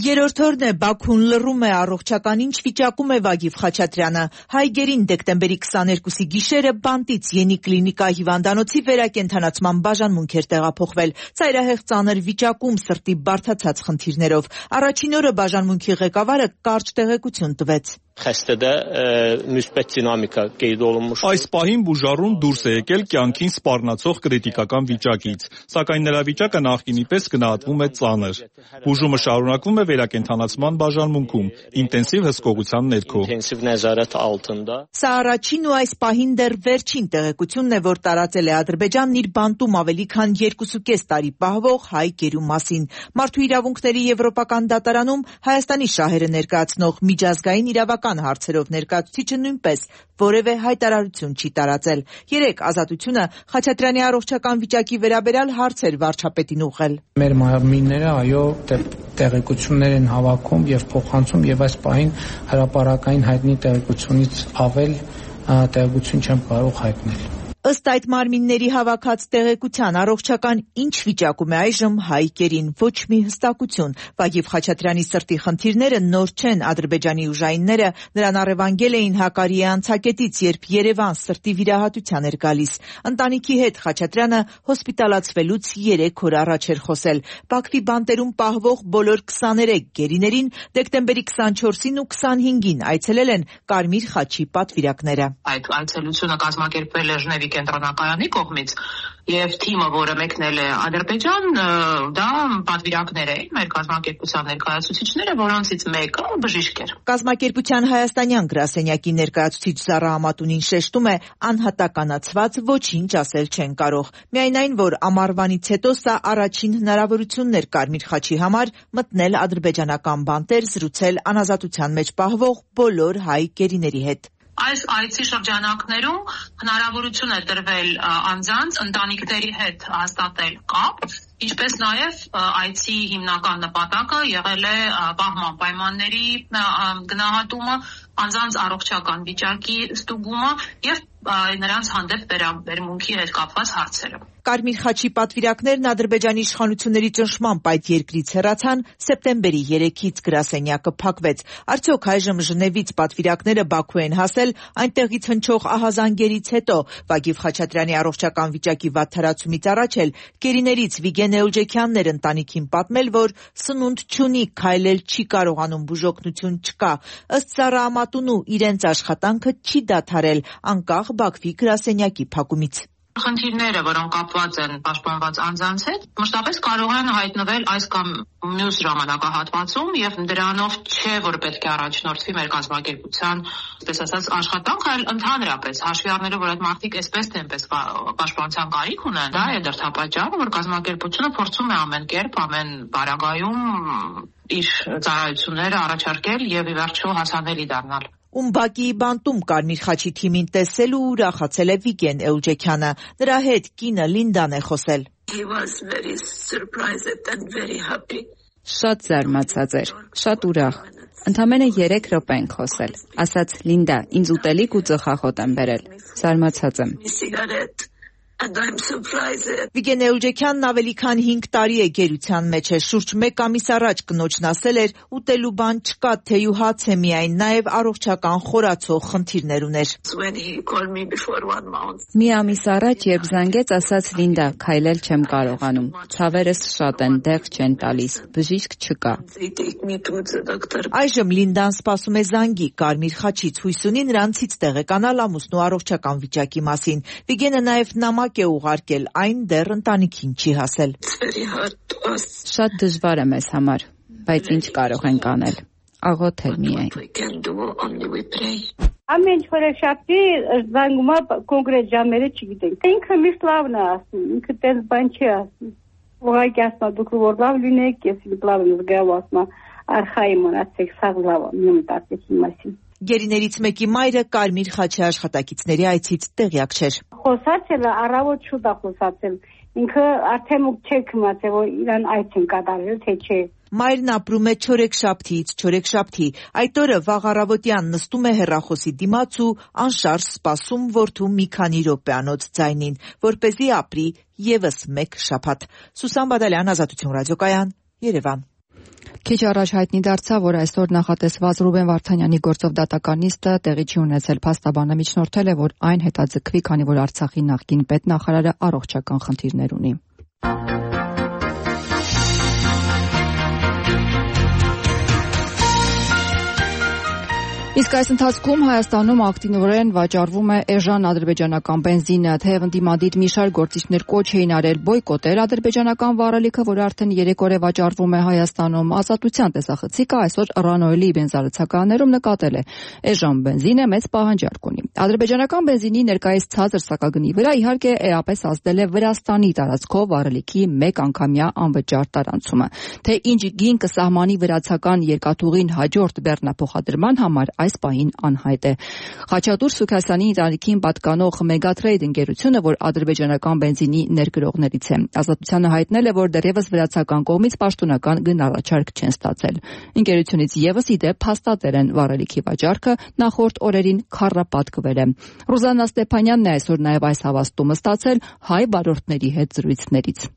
Երրորդ օրն է Բաքուն լռում է առողջական ինչ վիճակում է Վագիվ Խաչատրյանը։ Հայգերին դեկտեմբերի 22-ի գիշերը բանտից Յենի կլինիկա հիվանդանոցի վերակենդանացման բաժանմունք էր տեղափոխվել։ Ծայրահեղ ծանր վիճակում, սրտի բարդացած խնդիրներով։ Առաջին օրը բաժանմունքի ղեկավարը կարճ տեղեկություն տվեց։ Xəstədə müsbət dinamika qeyd olunmuş։ Այս պահին բուժառուն դուրս է եկել կյանքին սպառնացող կրիտիկական վիճակից, սակայն նրա վիճակը նախկինի պես գնահատվում է ծանր։ Բուժումը շարունակվում է վերակենդանացման բաժանմունքում, ինտենսիվ հսկողության ներքո։ Սա առաջին ու այս պահին դեռ վերջին տեղեկությունն է, որ տարածել է Ադրբեջանն իր բանտում ավելի քան 2.5 տարի պահվող հայ գերու մասին։ Մարդու իրավունքների եվրոպական դատարանում Հայաստանի շահերը ներկայացնող միջազգային իրավական հարցերով ներկայացուցիչը նույնպես որևէ հայտարարություն չի տարածել։ Երեկ Ազատությունը Խաչատրյանի առողջական վիճակի վերաբերյալ հարցեր վարչապետին ուղղել։ Մեր մարմինները այո տեղեկություններ են հավաքում եւ փոխանցում եւ այս պահին հրապարակային հայտնի տեղեկությունից ավել տեղեկություն չեմ կարող հայտնել։ Ըստ այդ մարմինների հավաքած տեղեկության առողջական ինչ վիճակում է այժմ հայ կերին, ոչ մի հստակություն։ Վագիվ Խաչատրյանի սրտի խնդիրները նոր չեն, Ադրբեջանի ուժայինները նրան առևանգել էին Հակարիի անցակետից, երբ Երևան սրտի վիրահատության էր գալիս։ Ընտանիքի հետ Խաչատրյանը հոսպիտալացվելուց 3 օր առաջ էր խոսել։ Բաքվի բանտերում պահվող բոլոր 23 գերիներին դեկտեմբերի 24-ին ու 25-ին այցելել են Կարմիր խաչի պատվիրակները։ Այդ այցելությունը կազմակերպվել է Ժնևի կենտրոնակայանի կողմից եւ թիմը, որը մեկնել է Ադրբեջան, դա պատվիրակներ էին, մեր կազմակերպության ներկայացուցիչները, որոնցից մեկը բժիշկ էր։ Կազմակերպության հայաստանյան գրասենյակի ներկայացուցիչ Զարա Ամատունին շեշտում է, անհատականացված ոչինչ ասել չեն կարող։ Միայն այն, որ ամառվանից հետո սա առաջին հնարավորությունն էր Կարմիր խաչի համար մտնել ադրբեջանական բանտեր, զրուցել անազատության մեջ պահվող բոլոր հայ գերիների հետ։ Այս այցի շրջանակներում հնարավորություն է տրվել անձանց ընտանիքների հետ հաստատել կապ, ինչպես նաև այցի հիմնական նպատակը եղել է պահման պայմանների գնահատումը, անձանց առողջական վիճակի ստուգումը եւ նրանց հանդեպ վերաբերմունքի հետ կապված հարցերը։ Կարմիր խաչի պատվիրակներն Ադրբեջանի իշխանությունների ճնշմամբ այդ երկրից հեռացան սեպտեմբերի 3-ից գրասենյակը փակվեց։ Արդյոք այժմ Ժնևից պատվիրակները Բաքու են հասել այնտեղից հնչող ահազանգերից հետո։ Վագիվ Խաչատրյանի առողջական վիճակի վատթարացումից առաջ էլ գերիներից Վիգեն Էուլջեքյանն էր ընտանիքին պատմել, որ սնունդ չունի, քայլել չի կարողանում, բուժօգնություն չկա։ Ըստ Զարա Ամատունու իրենց աշխատանքը չի դադարել անկախ Բաքվի գրասենյակի փակումից։ Խնդիրները, որոնք կապված են պաշտպանված անձանց հետ, մշտապես կարող են հայտնվել այս կամ մյուս ժամանակահատվածում եւ դրանով չէ, որ պետք է առաջնորդվի մեր կազմակերպության, այսպես ասած, աշխատանքը, այլ ընդհանրապես հաշվի առնելով, որ այդ մարդիկ այսպես թե այնպես պաշտպանության կարիք ունեն, դա է դրդապատճառը, որ կազմակերպությունը փորձում է ամեն կերպ, ամեն պարագայում իր ծառայությունները առաջարկել եւ ի վերջո հասանելի դառնալ։ Ումբակիի բանտում Կարմիր խաչի թիմին տեսել ու ուրախացել է Վիգեն Էուլջեքյանը։ Նրա հետ կինը Լինդան է խոսել։ Շատ զարմացած էր, շատ ուրախ։ Ընդամենը 3 րոպե ենք խոսել։ Ասաց Լինդա, ինձ ուտելիք ու ծխախոտ են բերել։ Զարմացած եմ։ Վիգեն Էուլջեքյանն ավելի քան 5 տարի է գերության մեջ է, շուրջ 1 ամիս առաջ կնոջն ասել էր ուտելու բան չկա, թեյ ու հաց է միայն, նաև առողջական խորացող խնդիրներ ուներ։ Մի ամիս առաջ, երբ զանգեց, ասաց Լինդա, քայլել չեմ կարողանում, ցավերս շատ են, դեղ չեն տալիս, բժիշկ չկա։ Այժմ Լինդան սպասում է զանգի, Կարմիր խաչից հույս ունի նրանցից տեղեկանալ ամուսնու առողջական վիճակի մասին։ Վիգենը նաև նամակ է ուղարկել, այն դեռ ընտանիքին չի հասել։ Շատ դժվար է մեզ համար, բայց ինչ կարող ենք անել։ Աղոթել միայն։ Ամեն չորեքշաբթի զանգում է կոնկրետ ժամերը չգիտենք։ Ինքը միշտ լավն է ասում, ինքը տես բան չի ասում։ Ուղղակի ասում է դուք որ լավ լինեք, ես լավ եմ զգալու ասում, արխայի մնացեք, սաղ լավ եմ, մի մտածեցի մասին։ Գերիներից մեկի մայրը Կարմիր խաչի աշխատակիցների այցից տեղյակ չէր։ Խոսացել է, առավոտ շուտ է խոսացել։ Ինքը արդեն չէ քմացել, որ իրան այց են կատարել, թե չէ։ Մայրն ապրում է չորեքշաբթիից չորեքշաբթի։ Այդ օրը վաղ առավոտյան նստում է հեռախոսի դիմաց ու անշարժ սպասում որդու մի քանի րոպեանոց ձայնին, որպեսզի ապրի եւս 1 շաբաթ։ Սուսան Բադալյան, Ազատություն ռադիոկայան, Երևան։ Քիչ առաջ հայտնի դարձավ, որ այսօր նախատեսված Ռուբեն Վարդանյանի գործով դատական նիստը տեղի չի ունեցել։ Փաստաբանը միջնորդել է, որ այն հետաձգվի, քանի որ Արցախի նախկին պետնախարարը առողջական խնդիրներ ունի։ Իսկ այս ընթացքում Հայաստանում ակտիվորեն վաճառվում է էժան ադրբեջանական բենզինը, թեև ընդդիմադիր մի շարք գործիչներ կոչ էին արել բոյկոտել ադրբեջանական վառելիքը, որը արդեն 3 օր է վաճառվում է Հայաստանում։ Ազատության տեսախցիկը այսօր Ռանոյելի բենզարացականներում նկատել է։ Էժան բենզինը մեծ պահանջարկ ունի։ Ադրբեջանական բենզինի ներկայիս ցածր սակագնի վրա իհարկե էապես ազդել է Վրաստանի տարածքով վառելիքի 1 անգամյա անվճար տարանցումը։ Թե ինչ գին կսահմանի վրացական երկաթուղին հաջորդ բեռնափոխադրման համար այս պահին անհայտ է։ Խաչատուր Սուքասյանի ընտանիքին պատկանող Megatrade ընկերությունը, որ ադրբեջանական բենզինի ներկրողներից է, Ազատությանը հայտնել է, որ դեռևս վրացական կողմից պաշտոնական գնահատառաջարկ չեն ստացել։ Ընկերությունից եւս ի դեպ հաստատել են վառելիքի վաճառքը նախորդ օրերին քառապատկվել է։ Ռուզաննա Ստեփանյանն է այսօր նաեւ այս հավաստումը ստացել հայ վարորդների հետ զրույցներից։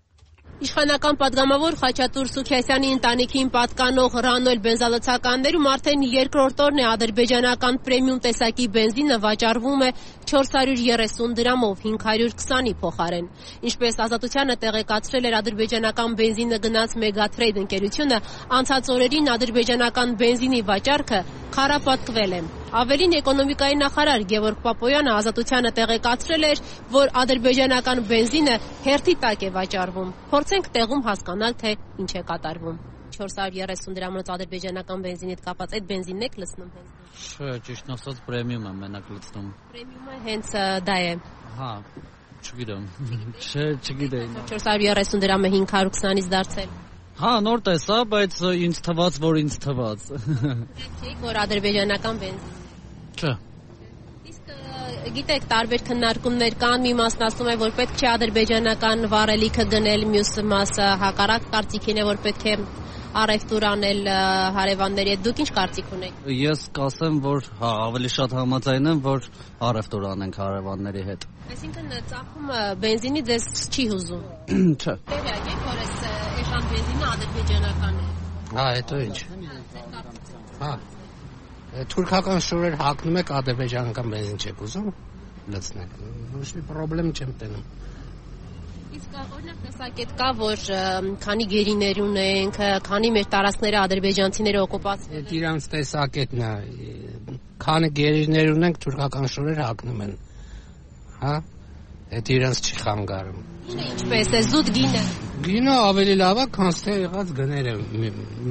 Իշխանական падգամավոր Խաչատուր Սուքասյանի ընտանիքին պատկանող Ռանոել բենզալցականներում արդեն երկրորդ օրն է ադրբեջանական պրեմիում տեսակի բենզինը վաճառվում է 430 դրամով 520-ի փոխարեն։ Ինչպես Ազատությանը տեղեկացրել էր ադրբեջանական բենզինը գնած Megatrade ընկերությունը, անցած օրերին ադրբեջանական բենզինի վաճառքը քառապատկվել է։ Ավելին էկոնոմիկայի նախարար Գևորգ Պապոյանը Ազատությանը տեղեկացրել էր, որ ադրբեջանական բենզինը հերթի տակ է վաճառվում։ Փորձենք տեղում հասկանալ, թե ինչ է կատարվում։ 430 դրամից ադրբեջանական բենզինի հետ կապած այդ բենզինն եք լցնում հենց։ Չէ, ճիշտ ասած պրեմիում եմ մենակ լցնում։ Պրեմիումը հենց դա է։ Հա, չգիտեմ։ Չէ, չգիտեի։ 430 դրամը 520-ից դարձել։ Հա, նոր տեսա, բայց ինձ թվաց, որ ինձ թվաց։ Գիտեք, որ ադրբեջանական բենզին։ Չէ։ Իսկ գիտեք, տարբեր քննարկումներ կան, մի մասն ասում է, որ պետք չէ ադրբեջանական վառելիքը գնել, մյուս մասը հակառակ կարծիքին է, որ պետք է առևտուր անել հարևանների հետ։ Դուք ինչ կարծիք ունեք։ Ես կասեմ, որ հա, ավելի շատ համաձայն եմ, որ առևտուր անենք հարևանների հետ։ Այսինքն ծախումը բենզինի ձեզ չի հուզում։ Չէ։ Տեղյակ եք, որ այս էշան բենզինը ադրբեջանական է։ Հա, հետո ինչ։ Հա։ Թուրքական շորեր հագնում եք, ադրբեջանական բենզին չեք ուզում լցնել։ Ոչ մի խնդրեմ չեմ տենում։ Իսկ օրինակ տեսակետ կա, որ քանի գերիներ ունենք, քանի մեր տարածքները ադրբեջանցիները օկուպացրել են։ Իրանց տեսակետն է։ Քանի գերիներ ունենք, թուրքական շորեր հագնում են։ Հա։ Այդ իրանց չի խանգարում։ Գինը ինչպես է, զուտ գինը։ Գինը ավելի լավ է, քան թե եղած գները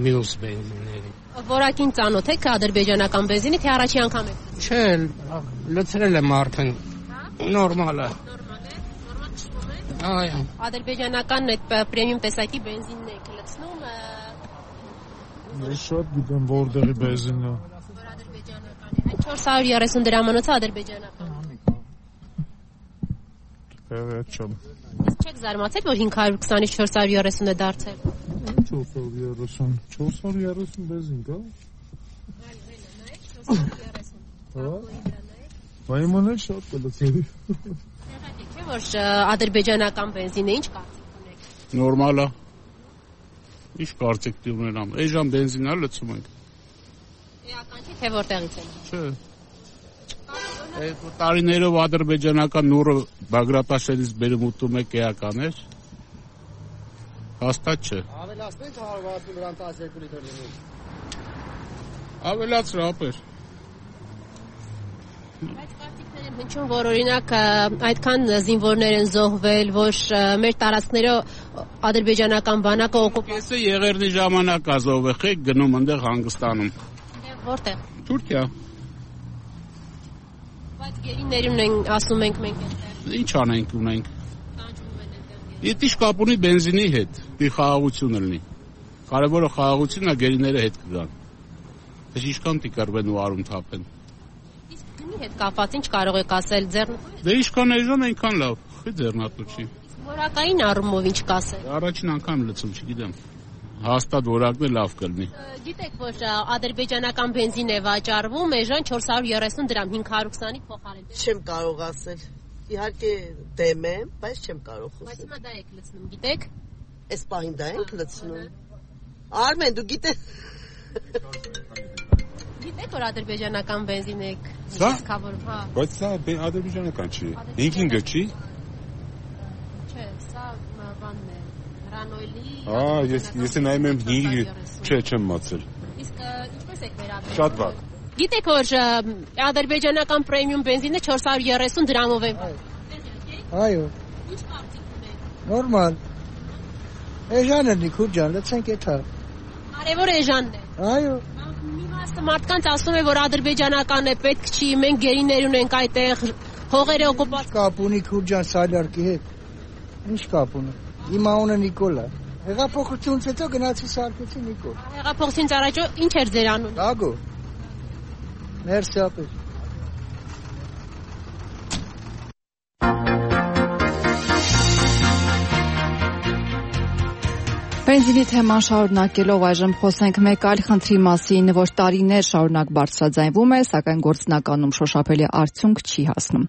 մյուս բենզինների։ Որակին ծանոթ եք ադրբեջանական բենզինի, թե առաջի անգամ եք։ Չէ, լցրել եմ արդեն։ Նորմալ է։ Այո։ Ադրբեջանական այդ պրեմիում տեսակի բենզինն եք լցնում։ Ես շատ գիտեմ որտեղի բենզինն է։ Որ ադրբեջանական է։ Այդ 430 դրամանոցը ադրբեջանական։ Չեմ։ Իսկ չեք զարմացել, որ 520-ից 430 է դարձել։ 430 բենզին կա։ Հա։ Բայց շատ կլցրի։ Չէ՞ որ ադրբեջանական բենզինը ինչ կարծիք ունեք։ Նորմալ է։ Ինչ կարծիք ունենամ։ Էժան բենզին է լցում ենք։ Էական չի, թե որտեղից է։ Չէ։ Այդ տարիներով ադրբեջանական նուրը Բագրատաշերից բերում ուտում եք էական էր։ Հաստատ չէ։ Ավելացնենք 160 դրամ 12 լիտր լինի։ Ավելացրու ապեր։ Բայց կարծիքներ են հնչում, որ օրինակ այդքան զինվորներ են զոհվել, որ մեր տարածքները ադրբեջանական բանակը օկուպացրել։ Ես եղերնի ժամանակ ազովել եք գնում այնտեղ հանգստանում։ Որտեղ։ Թուրքիա։ Բայց գերիներ ունեն, ասում ենք մենք այդտեղ։ Ինչ անենք ունենք։ Եթե ինչ կապ ունի բենզինի հետ, մի խաղաղություն լինի։ Կարևորը խաղաղությունն է, գերիները հետ կգան։ Դες ինչքան տիկարվեն ու արում թափեն։ Իսկ գնի հետ կապված ինչ կարող եք ասել ձեռնատու։ Դե ինչքան էժան այնքան լավ, խի ձեռնատու չի։ Որակային առումով ինչ կասել։ Առաջին անգամ լցում, չգիտեմ։ Հաստատ որակն է լավ կլինի։ Գիտեք, որ ադրբեջանական բենզին է վաճառվում, էժան 430 դրամ 520-ի փոխարեն։ Չեմ կարող ասել։ Իհարկե դեմ եմ, բայց չեմ կարող խոսել։ Բայց հիմա դա եք լցնում, գիտեք։ Այս պահին դա ենք լցնում։ Արմեն, դու գիտես։ Գիտեք, որ ադրբեջանական բենզին եք իսկավորում, հա։ Բայց սա ադրբեջանական չի։ Ինքինգը չի։ Չէ, սա բանն է։ Ռանոյլի։ Ես նայում եմ 5, չէ, չեմ մացել։ Իսկ ինչպես եք վերաբերվում։ Շատ վատ։ Գիտեք, որ ադրբեջանական պրեմիում բենզինը 430 դրամով է։ Այո։ Ինչ կարծիք ունեք։ Նորմալ։ Էժան է Նիկուլ ջան, լցենք էթա։ Կարևոր էժանն է։ Այո։ Մի մասը մարդկանց ասում է, որ ադրբեջանական է, պետք չի, մենք գերիներ ունենք այդտեղ, հողերը օկուպացված։ Կապ ունի Նիկուլ ջան Սալյարկի հետ։ Ինչ կապ ունի։ Իմ անունը Նիկոլ է։ Հեղափոխությունից հետո գնացի սարքեցի Նիկոլ։ Հեղափոխությունից առաջ ինչ էր ձեր անունը։ Դագո։ Մերսի ապեր։ Բենզինի թեման շարունակելով այժմ խոսենք մեկ այլ խնդրի մասին, որ տարիներ շարունակ բարձրաձայնվում է, սակայն գործնականում շոշափելի արդյունք չի հասնում։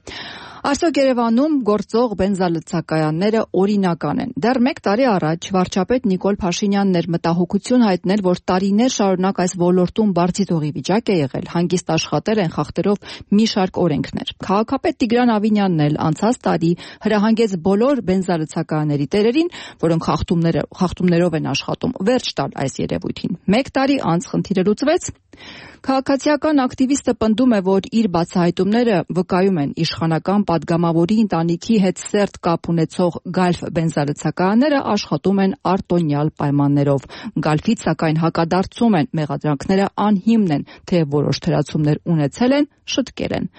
Այսօր Երևանում գործող բենզալցակայանները օրինական են։ Դեռ 1 տարի առաջ վարչապետ Նիկոլ Փաշինյանն էր մտահոգություն հայտնել, որ տարիներ շարունակ այս ոլորտում բարձիթողի վիճակ է եղել, հանգիստ աշխատել են խախտելով մի շարք օրենքներ։ Քաղաքապետ Տիգրան Ավինյանն էլ անցած տարի հրահանգեց բոլոր բենզալցակայանների տերերին, որոնք խախտումներով են աշխատում, վերջ տալ այս երևույթին։ 1 տարի անց խնդիրը լուծվեց։ Քաղաքացիական ակտիվիստը պնդում է, որ իր բացահայտումները վկայում են իշխանական падգամավորի ընտանիքի հետ սերտ կապ ունեցող Գալֆ բենզալցակայանները աշխատում են արտոնյալ պայմաններով։ Գալֆից սակայն հակադարձում են, մեղադրանքները անհիմն են, թեև որոշ թերացումներ ունեցել են, շտկել են։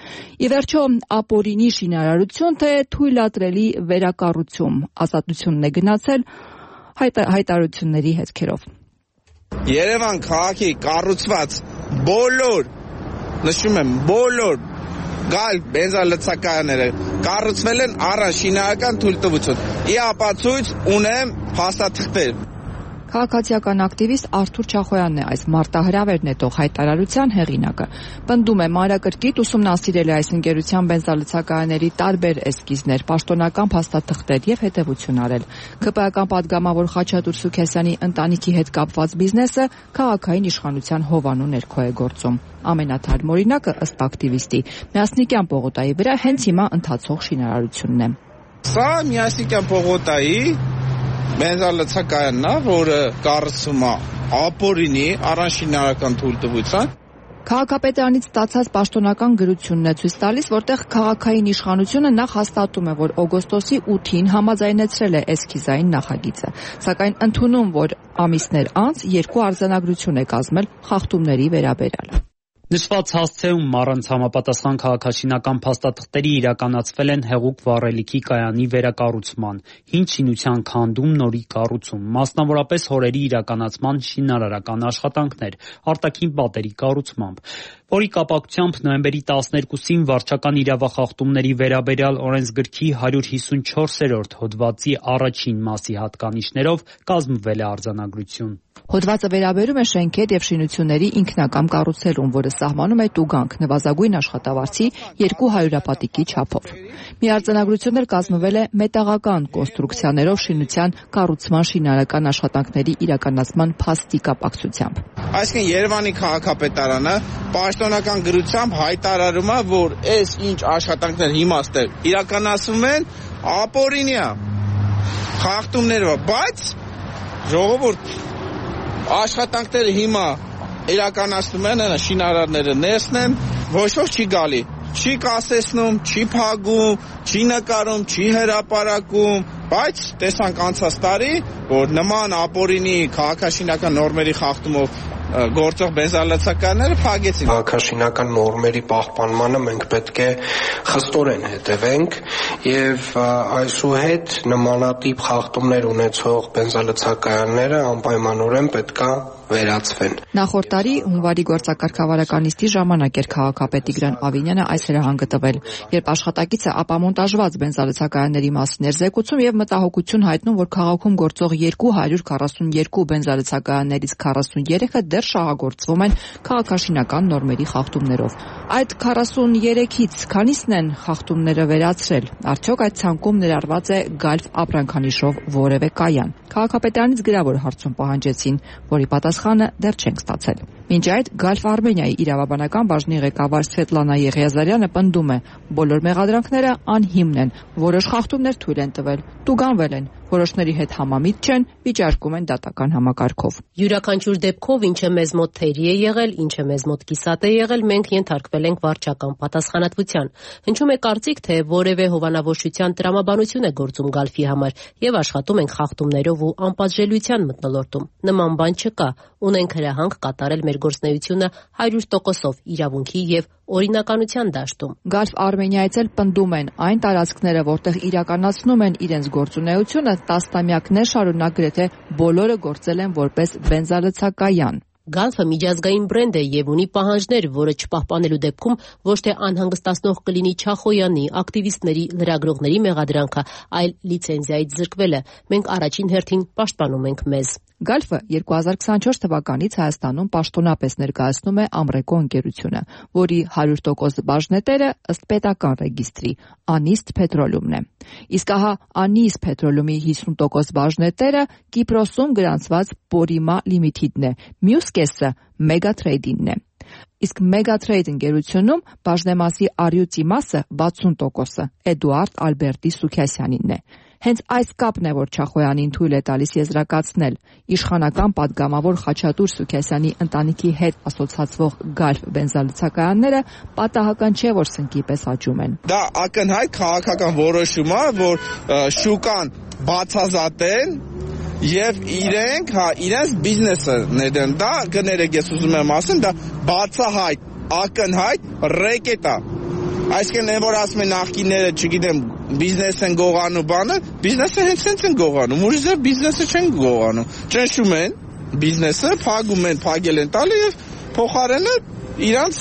Ի վերջո, ապօրինի շինարարություն, թե թույլատրելի վերակառուցում, ազատությունն է գնացել հայտարարությունների հետքերով։ Երևան քաղաքի կառուցված բոլոր, նշում եմ, բոլոր գալ բենզալցակայանները կառուցվել են առանց շինարարական թույլտվություն։ Ի ապացույց ունեմ փաստաթղթեր։ Քաղաքացիական ակտիվիստ Արթուր Չախոյանն է այս մարտահրավեր նետող հայտարարության հեղինակը։ Պնդում է, մանրակրկիտ ուսումնասիրել է այս ընկերության բենզալցակայանների տարբեր էսքիզներ, պաշտոնական փաստաթղթեր եւ հետեւություն արել։ ԿՊԱ-ական падգամավոր Խաչատուր Սուքեսյանի ընտանիքի հետ կապված բիզնեսը քաղաքային իշխանության հովանու ներքո է գործում։ Ամենաթարմ օրինակը, ըստ ակտիվիստի, Միասնիկյան պողոտայի վրա հենց հիմա ընթացող շինարարությունն է։ Սա Միասնիկյան պողոտայի բենզալցակայանն է, որը կառուցվում է ապօրինի առանց շինարարական թույլտվության։ Քաղաքապետարանից ստացած պաշտոնական գրությունն է ցույց տալիս, որտեղ քաղաքային իշխանությունը նախ հաստատում է, որ օգոստոսի 8-ին համաձայնեցրել է էսքիզային նախագիծը, սակայն ընդունում, որ ամիսներ անց 2 արձանագրություն է կազմել խախտումների վերաբերյալ։ Նշված հասցեում առանց համապատասխան քաղաքաշինական փաստաթղթերի իրականացվել են հեղուկ վառելիքի կայանի վերակառուցման, հին շինության քանդում, նորի կառուցում, մասնավորապես հորերի իրականացման շինարարական աշխատանքներ, արտաքին պատերի կառուցմամբ, որի կապակցությամբ նոյեմբերի 12-ին վարչական իրավախախտումների վերաբերյալ օրենսգրքի 154-րդ հոդվածի առաջին մասի հատկանիշներով կազմվել է արձանագրություն։ Հոդվածը վերաբերում է շենքեր եւ շինությունների ինքնակամ կառուցելուն, որը սահմանում է տուգանք նվազագույն աշխատավարձի 200 պատիկի չափով։ Մի արձանագրություն կազմվել է մետաղական կոնստրուկցիաներով շինության կառուցման շինարարական աշխատանքների իրականացման փաստի կապակցությամբ։ Այսինքն Երևանի քաղաքապետարանը պաշտոնական գրությամբ հայտարարում է, որ այս ինչ աշխատանքներ հիմա իրականացվում են ապօրինի է, խախտումներով, բայց ժողովուրդ աշխատանքները հիմա իրականացնում են, շինարարները ներսն են, ոչ ոք չի գալի, չի կասեցնում, չի փակում, չի նկարում, չի հրապարակում, բայց տեսանք անցած տարի, որ նման ապօրինի քաղաքաշինական նորմերի խախտումով գործող բենզալցակայանները փակեցին։ Քաղաքաշինական նորմերի պահպանմանը մենք պետք է խստորեն հետևենք եւ այսուհետ նմանատիպ խախտումներ ունեցող բենզալցակայանները անպայմանորեն պետք է վերացվեն։ Նախորդ տարի հունվարի գործակարգավարական նիստի ժամանակ էր քաղաքապետ Տիգրան Ավինյանը այս հրահանգը տվել, երբ աշխատակիցը ապամոնտաժված բենզալցակայանների մասին էր զեկուցում եւ մտահոգություն հայտնում, որ քաղաքում գործող 242 բենզալցակայաններից 43-ը դեռ շահագործվում են քաղաքաշինական նորմերի խախտումներով։ Այդ 43-ից քանիսն են խախտումները վերացրել։ Արդյոք այդ ցանկում ներառված է Գալֆ ապրանքանիշով որևէ կայան։ Քաղաքապետարանից գրավոր հարցում պահանջեցին, որի պատասխանը դեռ չենք ստացել։ Մինչ այդ Գալֆ Արմենիայի իրավաբանական բաժնի ղեկավար Սվետլանա Եղիազարյանը պնդում է, բոլոր մեղադրանքները անհիմն են, որոշ խախտումներ թույլ են տվել, տուգանվել են, որոշների հետ համամիտ չեն, վիճարկում են դատական համակարգով։ Յուրաքանչյուր դեպքով ինչը մեզ մոտ թերի է եղել, ինչը մեզ մոտ կիսատ է եղել, մենք ենթարկվել ենք վարչական պատասխանատվության։ Հնչում է կարծիք, թե որևէ հովանավորչության տրամաբանություն է գործում Գալֆի համար եւ աշխատում ենք խախտումներով ու անպատժելիության մթնոլորտում։ Նման բան չկա, ունենք հրահանգ կատարել մեր գործունեությունը 100%-ով իրավունքի եւ օրինականության դաշտում։ Գալֆ Արմենիայից էլ պնդում են, այն տարածքները, որտեղ իրականացնում են իրենց գործունեությունը, տասնամյակներ շարունակ գրեթե բոլորը գործել են որպես բենզալցակայան։ Գալֆը միջազգային բրենդ է եւ ունի պահանջներ, որը չպահպանելու դեպքում ոչ թե անհանգստացնող կլինի Չախոյանի, ակտիվիստների, լրագրողների մեղադրանքը, այլ լիցենզիայից զրկվելը։ Մենք առաջին հերթին պաշտպանում ենք մեզ։ Գալֆը 2024 թվականից Հայաստանում պաշտոնապես ներկայացնում է Ամրեկո ընկերությունը, որի 100% բաժնետերը ըստ պետական ռեգիստրի Անիստ Պետրոլումն է։ Իսկ ահա Անիստ Պետրոլումի 50% բաժնետերը Կիպրոսում գրանցված Պորիմա Լիմիթիդն է, մյուս կեսը Մեգատրեյդինն է։ Իսկ Մեգատրեյդ ընկերությունում բաժնեմասի առյուծի մասը 60%-ը Էդուարդ Ալբերտի Սուքյասյանինն է։ Հենց այս կապն է, որ Չախոյանին թույլ է տալիս եզրակացնել իշխանական падգամավոր Խաչատուր Սուքյասյանի ընտանիքի հետ ասոցացվող Գալֆ բենզալցակայանները պատահական չէ, որ սնկի պես աճում են։ Դա ակնհայտ քաղաքական որոշում է, որ շուկան բացազատեն եւ իրենց բիզնեսը ներդեն։ Դա կներեք, ես ուզում եմ ասեմ, դա բացահայտ, ակնհայտ ռեկետ է։ Այսինքն որ ասում են նախկինները, չգիտեմ, բիզնես են գողանում բանը, բիզնեսը հենց են գողանում, ուրիշ բիզնեսը չեն գողանում։ Ճնշում են բիզնեսը, փակում են, փակել են տալի եւ փոխարենը իրանց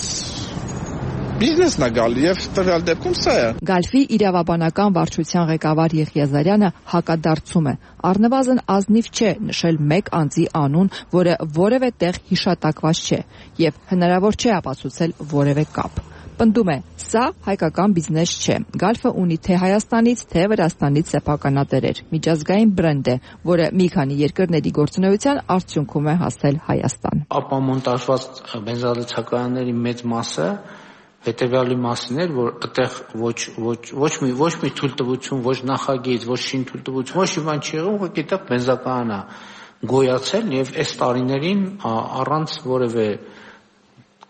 բիզնեսն է գալի եւ տվյալ դեպքում սա է։ Գալֆի իրավաբանական վարչության ղեկավար Եղիա Զարյանը հակադարձում է։ Առնվազն ազնիվ չէ նշել մեկ անձի անուն, որը որևէ տեղ հիշատակված չէ եւ հնարավոր չէ ապացուցել որևէ կապ։ Պնդում է, սա հայկական բիզնես չէ։ Գալֆը ունի թե Հայաստանից, թե Վրաստանից սեփականատերեր։ Միջազգային բրենդ է, որը մի քանի երկրների գործունեության արդյունքում է հասել Հայաստան։ Ապամոնտաժված բենզալցակայանների մեծ մասը հետևյալի մասին էր, որ այդտեղ ոչ մի թույլտվություն, ոչ նախագիծ, ոչ շինթույլտվություն, ոչ մի բան չի եղել, ուղղակի դա բենզակայանը գոյացել եւ այս տարիներին առանց որևէ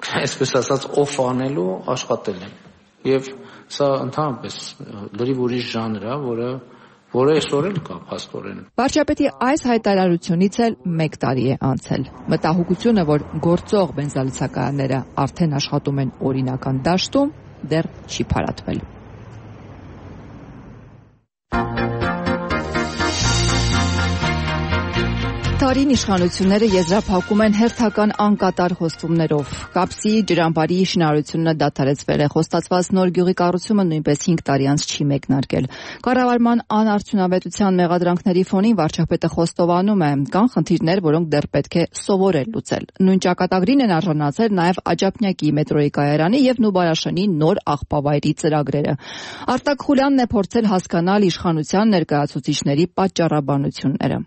այսպես ասած օֆ անելու աշխատել են եւ սա ընդհանրապես լրիվ ուրիշ ժանր է, որը այսօր էլ կա փաստորեն։ Վարչապետի այս հայտարարությունից էլ 1 տարի է անցել։ Մտահոգությունը, որ գործող բենզալցակայանները արդեն աշխատում են օրինական դաշտում, դեռ չի փարատվել։ Տարին իշխանությունները եզրափակում են հերթական անկատար խոստումներով։ Կապսի ջրամբարի շինարարությունը դադարեցվել է, խոստացված նոր գյուղի կառուցումը նույնպես 5 տարի անց չի մեկնարկել։ Կառավարման անարդյունավետության մեղադրանքների ֆոնին վարչապետը խոստովանում է, կան խնդիրներ, որոնք դեռ պետք է սովորել լուծել։ Նույն ճակատագրին են արժանացել նաև Աջափնյակի մետրոյի կայարանի եւ Նուբարաշենի նոր աղբավայրի ծրագրերը։ Արտակ Խուլյանն է փորձել հասկանալ իշխանության ներկայացուցիչների պատճառաբանությունները։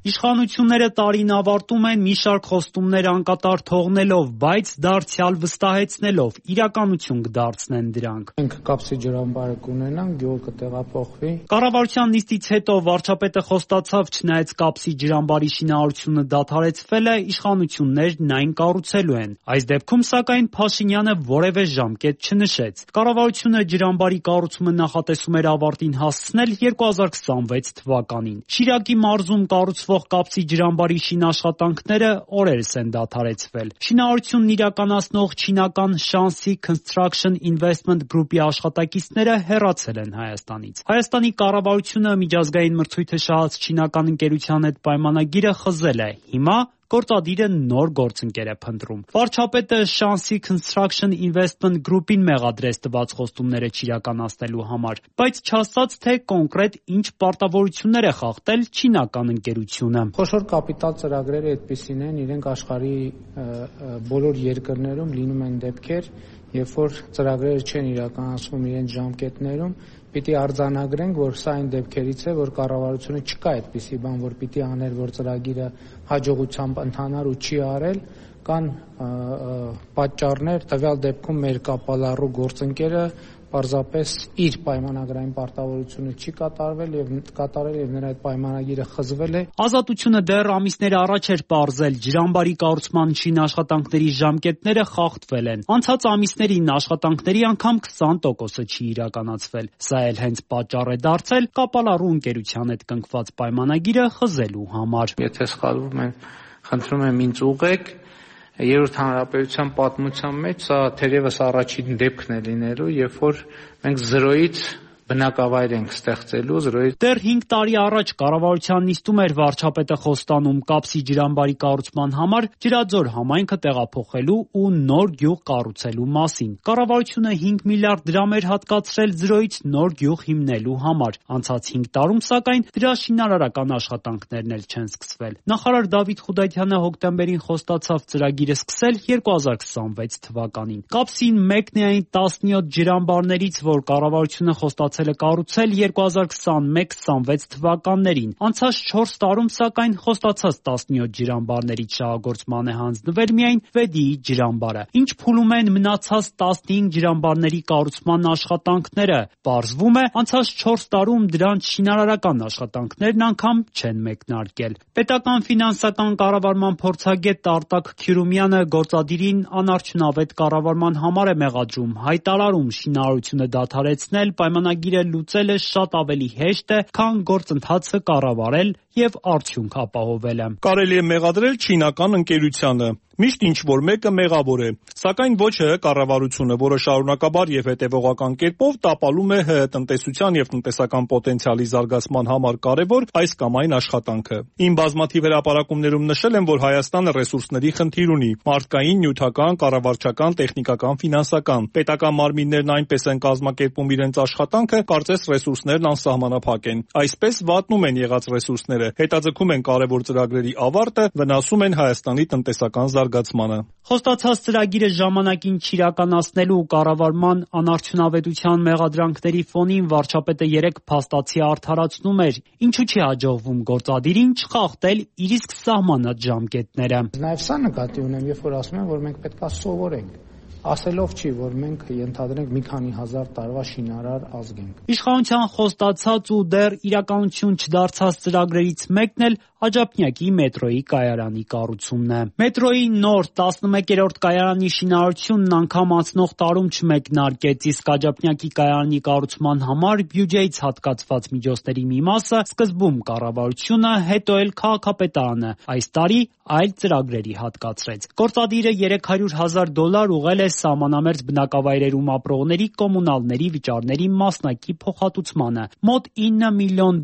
Իշխանությունները տարին ավարտում են մի շարք խոստումներ անկատար թողնելով, բայց դարձյալ վստահեցնելով, իրականություն կդարձնեն դրանք։ Մենք Կապսի ջրամբարը կունենանք, գյուղը կտեղափոխվի։ Կառավարության նիստից հետո վարչապետը խոստացավ, չնայած Կապսի ջրամբարի շինարարությունը դադարեցվել է, իշխանություններն այն կառուցելու են։ Այս դեպքում սակայն Փաշինյանը որևէ ժամկետ չնշեց։ Կառավարությունը ջրամբարի կառուցումը նախատեսում էր ավարտին հասցնել 2026 թվականին։ Շիրակի մարզում կառուցվող Կապսի ջրամբարի շինաշխատանքները օրերս են դադարեցվել։ Շինարարությունն իրականացնող չինական Shanxi Construction Investment Group-ի աշխատակիցները հեռացել են Հայաստանից։ Հայաստանի կառավարությունը միջազգային մրցույթը շահած չինական ընկերության հետ պայմանագիրը խզել է։ Հիմա գործադիրը նոր գործընկեր է փնտրում։ Վարչապետը Shanxi Construction Investment Group-ին մեղադրեց տված խոստումները չիրականացնելու համար, բայց չասաց, թե կոնկրետ ինչ պարտավորություններ է խախտել չինական ընկերությունը։ Խոշոր կապիտալ ծրագրերը այդպիսին են, իրենք աշխարհի բոլոր երկրներում լինում են դեպքեր, երբ որ ծրագրերը չեն իրականացվում իրենց ժամկետներում, պիտի արձանագրենք, որ սա այն դեպքերից է, որ կառավարությունը չկա այդպիսի բան, որ պիտի աներ, որ ծրագիրը հաջողությամբ ընթանար ու չի արել, կան պատճառներ, տվյալ դեպքում մեր կապալառու գործընկերը պարզապես իր պայմանագրային պարտավորությունը չի կատարել եւ նրա այդ պայմանագիրը խզվել է։ Ազատությունը դեռ ամիսներ առաջ էր պարզել, ջրամբարի կառուցման շինաշխատանքների ժամկետները խախտվել են։ Անցած ամիսներին աշխատանքների անգամ 20%-ը չի իրականացվել։ Սա էլ հենց պատճառ է դարձել կապալառու ընկերության հետ կնքված պայմանագիրը խզելու համար։ Եթե սխալվում եմ, խնդրում եմ ինձ ուղղեք։ Երրորդ հանրապետության պատմության մեջ սա թերևս առաջին դեպքն է լինելու, երբ որ մենք 0-ից բնակավայր ենք ստեղծելու զրոյի։ Դեռ 5 տարի առաջ կառավարության նիստում էր վարչապետը խոստանում Կապսի ջրամբարի կառուցման համար Ջրաձոր համայնքը տեղափոխելու ու նոր գյուղ կառուցելու մասին։ Կառավարությունը 5 միլիարդ դրամ էր հատկացրել զրոյից նոր գյուղ հիմնելու համար։ Անցած 5 տարում, սակայն, դրա շինարարական աշխատանքներն էլ չեն սկսվել։ Նախարար Դավիթ Խուդայթյանը հոկտեմբերին խոստացավ ծրագիրը սկսել 2026 թվականին։ Կապսին մեկն է այն 17 ջրամբարներից, որ կառավարությունը խոստացել է կառուցել 2021-26 թվականներին։ Անցած 4 տարում, սակայն, խոստացած 17 ջրամբարներից շահագործման է հանձնվել միայն Վեդիի ջրամբարը։ Ինչ փուլում են մնացած 15 ջրամբարների կառուցման աշխատանքները։ Պարզվում է, անցած 4 տարում դրանց շինարարական աշխատանքներն անգամ չեն մեկնարկել։ Պետական ֆինանսական կառավարման փորձագետ Արտակ Քյուրումյանը գործադիրին անարդյունավետ կառավարման համար է մեղադրում, հայտարարում շինարարությունը դադարեցնել, պայմանագիրը լուծելը շատ ավելի հեշտ է, քան գործընթացը կառավարել եւ արդյունք ապահովելը։ Կարելի է մեղադրել չինական ընկերությանը։ Միշտ ինչ-որ մեկը մեղավոր է, սակայն ոչ ՀՀ կառավարությունը, որը շարունակաբար եւ հետեւողական կերպով տապալում է ՀՀ տնտեսության եւ տնտեսական պոտենցիալի զարգացման համար կարեւոր այս կամ այն աշխատանքը։ Իմ բազմաթիվ հրապարակումներում նշել եմ, որ Հայաստանը ռեսուրսների խնդիր ունի՝ մարդկային, նյութական, կառավարչական, տեխնիկական, ֆինանսական։ Պետական մարմիններն այնպես են կազմակերպում իրենց աշխատանքը, կարծես ռեսուրսներն անսահմանափակ են։ Այսպես վատնում են եղած ռեսուրսները, հետաձգում են կարեւոր ծրագրերի ավարտը, վնասում են Հայաստանի տնտեսական զարգացմանը։ Խոստացած ծրագիրը ժամանակին չիրականացնելու կառավարման անարդյունավետության մեղադրանքների ֆոնին վարչապետը 3 փաստացի արդարացնում էր, ինչու չի հաջողվում գործադիրին չխախտել իր իսկ սահմանած ժամկետները։ Նաև սա նկատի ունեմ, երբ որ ասում եմ, որ մենք պետք է սովորենք, ասելով չի, որ մենք ենթադրենք մի քանի հազար տարվա շինարար ազգ ենք։ Իշխանության խոստացած ու դեռ իրականություն չդարձած ծրագրերից մեկն էլ Աջափնյակի մետրոյի կայարանի կառուցումն է։ Մետրոյի նոր 11-րդ կայարանի շինարարությունն անգամ անցնող տարում չմեկնարկեց, իսկ Աջափնյակի կայարանի կառուցման համար բյուջեից հատկացված միջոցների մի մասը սկզբում կառավարությունը, հետո էլ քաղաքապետարանը այս տարի այլ ծրագրերի հատկացրեց։ Գործադիրը $300,000 ուղղել է սահմանամերձ բնակավայրերում ապրողների կոմունալների վճարների մասնակի փոխհատուցմանը, մոտ $9 միլիոն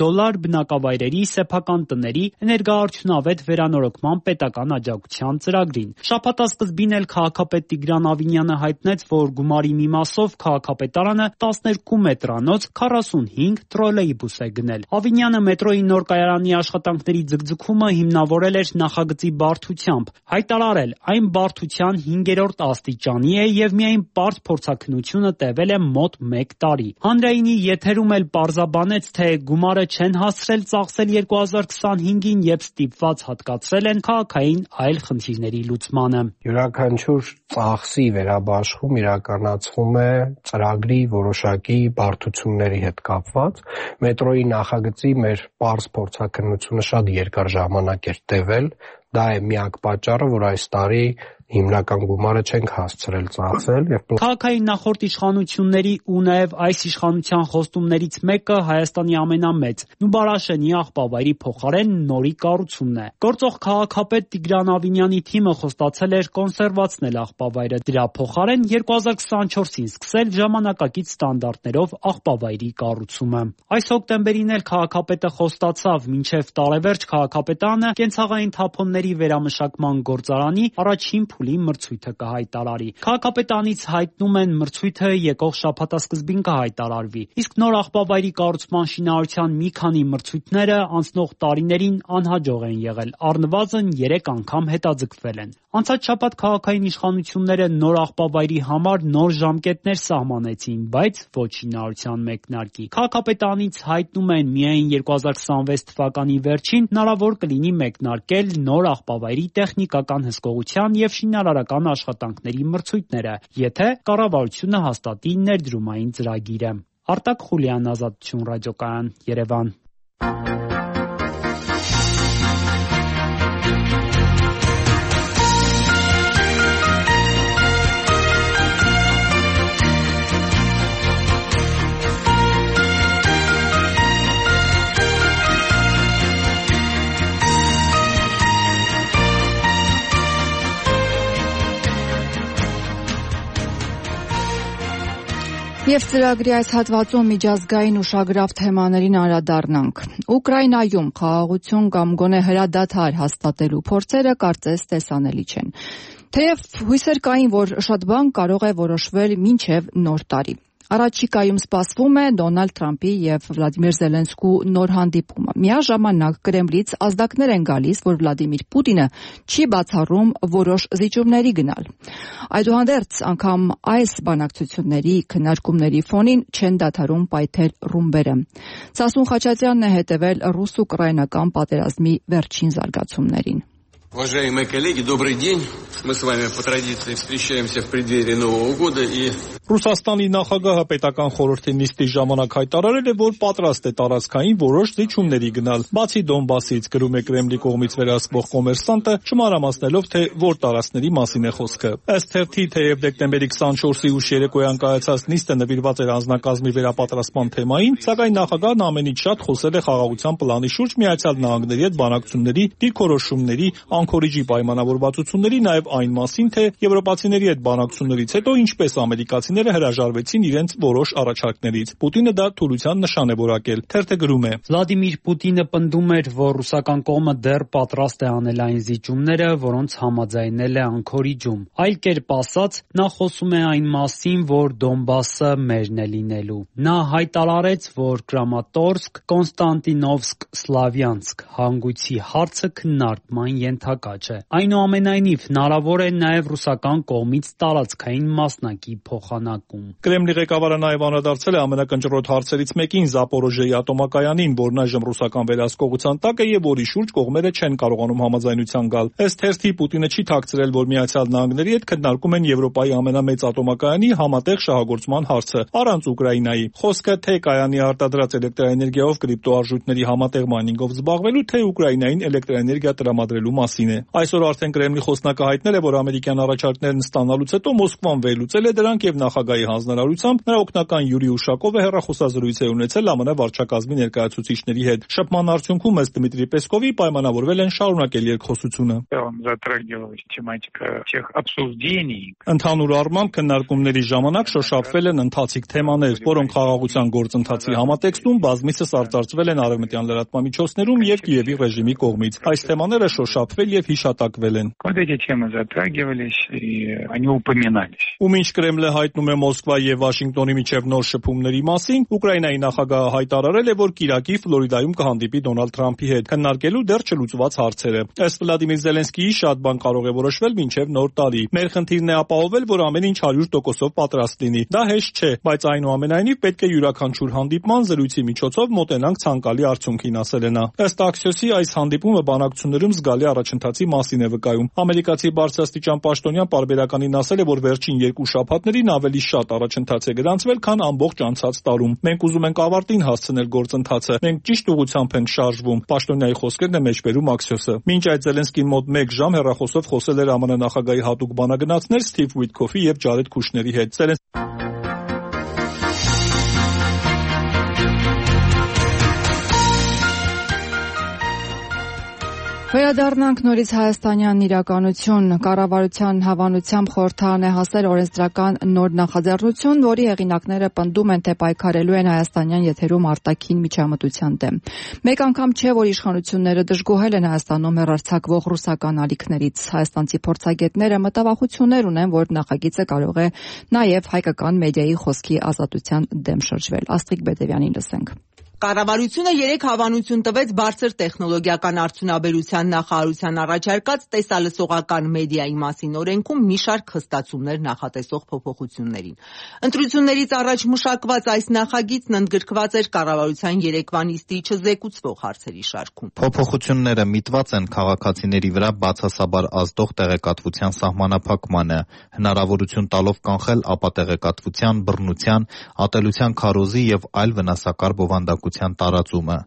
բնակավայրերի սեփական տների էներգոարդյունավետ վերանորոգման պետական աջակցության ծրագրին։ Շաբաթասկզբին էլ քաղաքապետ Տիգրան Ավինյանը հայտնեց, որ գումարի մի մասով քաղաքապետարանը 12 մետրանոց 45 տրոլեյբուս է գնել։ Ավինյանը մետրոյի նոր կայարանի աշխատանքների ձգձգումը հիմնավորել էր նախագծի բարդությամբ, հայտարարել այն բարդության 5-րդ աստիճանի է եւ միայն բարդ փորձաքննությունը տևել է մոտ 1 տարի։ Հանրայինի եթերում էլ պարզաբանեց, թե գումարը չեն հասցրել ծախսել 2025-ին եւ ստիպված հատկացրել են քաղաքային այլ խնդիրների լուծմանը։ Յուրաքանչյուր ծախսի վերաբաշխում իրականացվում է ծրագրի որոշակի բարդությունների հետ կապված։ Մետրոյի նախագծի մեր պարզ փորձաքննությունը շատ երկար ժամանակ էր տևել։ Դա է միակ պատճառը, որ այս տարի հիմնական գումարը չենք հասցրել ծախսել եւ քաղաքային նախորդ իշխանությունների ու նաեւ այս իշխանության խոստումներից մեկը Հայաստանի ամենամեծ Նուբարաշենի աղբավայրի փոխարեն նորի կառուցումն է։ Գործող քաղաքապետ Տիգրան Ավինյանի թիմը խոստացել էր կոնսերվացնել աղբավայրը, դրա փոխարեն 2024-ին սկսել ժամանակակից ստանդարտներով աղբավայրի կառուցումը։ Այս հոկտեմբերին էլ քաղաքապետը խոստացավ մինչև տարեվերջ քաղաքապետարանը կենցաղային թափոնների վերամշակման գործարանի առաջին փուլի մրցույթը կհայտարարի։ Քաղաքապետարանից հայտնում են մրցույթը եկող շաբաթասկզբին կհայտարարվի։ Իսկ նոր աղբավայրի կառուցման շինարարության մի քանի մրցույթները անցնող տարիներին անհաջող են եղել, առնվազն 3 անգամ հետաձգվել են։ Անցած շաբաթ քաղաքային իշխանությունները նոր աղբավայրի համար նոր ժամկետներ սահմանեցին, բայց ոչ շինարարության մեկնարկի։ Քաղաքապետարանից հայտնում են միայն 2026 թվականի վերջին հնարավոր կլինի մեկնարկել նոր աղբավայրի տեխնիկական հսկողության եւ շինարարական աշխատանքների մրցույթները, եթե կառավարությունը հաստատի ներդրումային ծրագիրը։ Արտակ Խուլյան, Ազատություն ռադիոկայան, Երևան։ Եվ ծրագրի այս հատվածում միջազգային ուշագրավ թեմաներին անդրադառնանք։ Ուկրաինայում խաղաղություն կամ գոնե հրադադար հաստատելու փորձերը կարծես տեսանելի չեն։ Թեև հույսեր կային, որ շատ բան կարող է որոշվել մինչև նոր տարի։ Առաջիկայում սպասվում է Դոնալդ Թրամփի եւ Վլադիմիր Զելենսկու նոր հանդիպումը։ Միաժամանակ Կրեմլից ազդակներ են գալիս, որ Վլադիմիր Պուտինը չի բացառում որոշ զիջումների գնալ։ Այդուհանդերձ, անգամ այս բանակցությունների քննարկումների ֆոնին չեն դադարում պայթել ռումբերը։ Սասուն Խաչատրյանն է հետևել ռուս-ուկրաինական պատերազմի վերջին զարգացումներին։ Уважаемые коллеги, добрый день. Мы с вами по традиции встречаемся в преддверии Нового года и Ռուսաստանի նախագահը պետական խորհրդի նիստի ժամանակ հայտարարել է, որ պատրաստ է տարածքային որոշ զիջումների գնալ, բացի Դոնբասից, գրում է Կրեմլի կողմից վերահսկվող Կոմերսանտը, չմանրամասնելով, թե որ տարածքների մասին է խոսքը։ Ըստ թերթի, թեև դեկտեմբերի 24-ի ուշ երեկոյան կայացած նիստը նվիրված էր անձնակազմի վերապատրաստման թեմային, սակայն նախագահն ամենից շատ խոսել է խաղաղության պլանի շուրջ Միացյալ Նահանգների հետ բանակցությունների դիրքորոշումների, անքորիջի պայմանավորվածությունների, նաև այն մասին, թե եվրոպացիների հետ բանակցություններից հետո ինչպես ամերիկացիները հրաժարվեցին իրենց որոշ առաջարկներից։ Պուտինը դա թուլության նշան է որակել։ Թերթը գրում է. Վլադիմիր Պուտինը պնդում էր, որ ռուսական կողմը դեռ պատրաստ է անել այն զիջումները, որոնց համաձայնել է Անկորիջում։ Այլ կերպ ասած, նա խոսում է այն մասին, որ Դոնբասը մերն է լինելու։ Նա հայտարարեց, որ Կրամատորսկ, Կոնստանտինովսկ, Սլավյանսկ հանգույցի հարցը քննարկման ենթակա չէ։ Այնուամենայնիվ, հնարավոր է նաև ռուսական կողմից տարածքային մասնակի փոխանակում։ Կրեմլի ղեկավարը նաև անդրադարձել է ամենակնճռոտ հարցերից մեկին Զապորոժիեի ատոմակայանին, որն այժմ ռուսական վերահսկողության տակ է եւ որի շուրջ կողմերը չեն կարողանում համաձայնության գալ։ Ըստ թերթի, Պուտինը չի թաքցրել, որ Միացյալ Նահանգների հետ քննարկում են Եվրոպայի ամենամեծ ատոմակայանի համատեղ շահագործման հարցը, առանց Ուկրաինայի։ Խոսքը թե կայանի արտադրած էլեկտրաէներգիայով կրիպտոարժույթների համատեղ մայնինգով զբաղվելու, թե Ուկրաինային էլեկտրաէներգիա տրամադրելու մասին է։ Այսօր արդեն Կրեմլի խոսնակը հայտնել է, որ ամերիկյան առաջարկներն ստանալուց հետո Մոսկվան վերլուծել է դրանք եւ նախագահի հանձնարարությամբ նրա օգնական Յուրի Ուշակովը հեռախոսազրույց է ունեցել ԱՄՆ վարչակազմի ներկայացուցիչների հետ։ Շփման արդյունքում, ըստ Դմիտրի Պեսկովի, պայմանավորվել են շարունակել երկխոսությունը։ Ընդհանուր առմամբ քննարկումների ժամանակ շոշափվել են ընթացիկ թեմաներ, որոնք խաղաղության գործընթացի համատեքստում բազմիցս արծարծվել են արևմտյան լրատվամիջոցներում եւ Կիևի ռեժիմի կողմից։ Այս թեմաները շոշափվել եւ հիշատակվել են։ Ու մինչ Կրեմլը հայտնում է Մոսկվա եւ Վաշինգտոնի միջև նոր շփումների մասին, Ուկրաինայի նախագահը հայտարարել է, որ կիրակի Ֆլորիդայում կհանդիպի Դոնալդ Թրամփի հետ, քննարկելու դեռ չլուծված հարցերը։ Ըստ Վլադիմիր Զելենսկիի, շատ բան կարող է որոշվել մինչև նոր տարի։ Մեր խնդիրն է ապահովել, որ ամեն ինչ 100%-ով պատրաստ լինի։ Դա հեշտ չէ, բայց այնուամենայնիվ պետք է յուրաքանչյուր հանդիպման զրույցի միջոցով մոտենանք ցանկալի արդյունքին, ասել է նա։ Ըստ Axios-ի, այս հանդիպումը բանակցություններում զգալի առաջընթացի մասին է վկայում։ Ամերիկացի բարձրաստիճան պաշտոնյան պարբերականին ասել է, որ վերջին 2 շաբաթներին ավելի շատ առաջընթաց է գրանցվել, քան ամբողջ անցած տարում։ Մենք ուզում ենք ավարտին հասցնել գործընթացը։ Մենք ճիշտ ուղղությամբ ենք շարժվում։ Պաշտոնյայի խոսքերն է մեջբերում Axios-ը։ Մինչ այդ Զելենսկին մոտ 1 ժամ հեռախոսով խոսել էր ԱՄՆ նախագահի հատուկ բանագնացներ Սթիվ Ուիթքոֆի եւ Ջարեդ Քուշների հետ։ Վերադառնանք նորից հայաստանյան իրականություն։ Կառավարության հավանությամբ խորհրդարան է հասել օրենսդրական նոր նախաձեռնություն, որի հեղինակները պնդում են, թե պայքարելու են հայաստանյան եթերում արտաքին միջամտության դեմ։ Մեկ անգամ չէ, որ իշխանությունները դժգոհել են Հայաստանում հեռարձակվող ռուսական ալիքներից։ Հայաստանցի փորձագետները մտավախություններ ունեն, որ նախագիծը կարող է նաև հայկական մեդիայի խոսքի ազատության դեմ շրջվել։ Աստղիկ Բեդևյանին լսենք։ Կառավարությունը 3 հավանություն տվեց բարձր տեխնոլոգիական արդյունաբերության նախարարության առաջարկած տեսալսողական մեդիայի մասին օրենքում մի շարք խստացումներ նախատեսող փոփոխություններին։ Ընտրություններից առաջ մշակված այս նախագիծն ընդգրկված էր կառավարության երեկվա նիստի չզեկուցվող հարցերի շարքում։ Փոփոխությունները միտված են քաղաքացիների վրա բացասաբար ազդող տեղեկատվության սահմանափակմանը, հնարավորություն տալով կանխել ապատեղեկատվության, բռնության, ատելության քարոզի եւ այլ վնասակար բովանդակության տարածումը։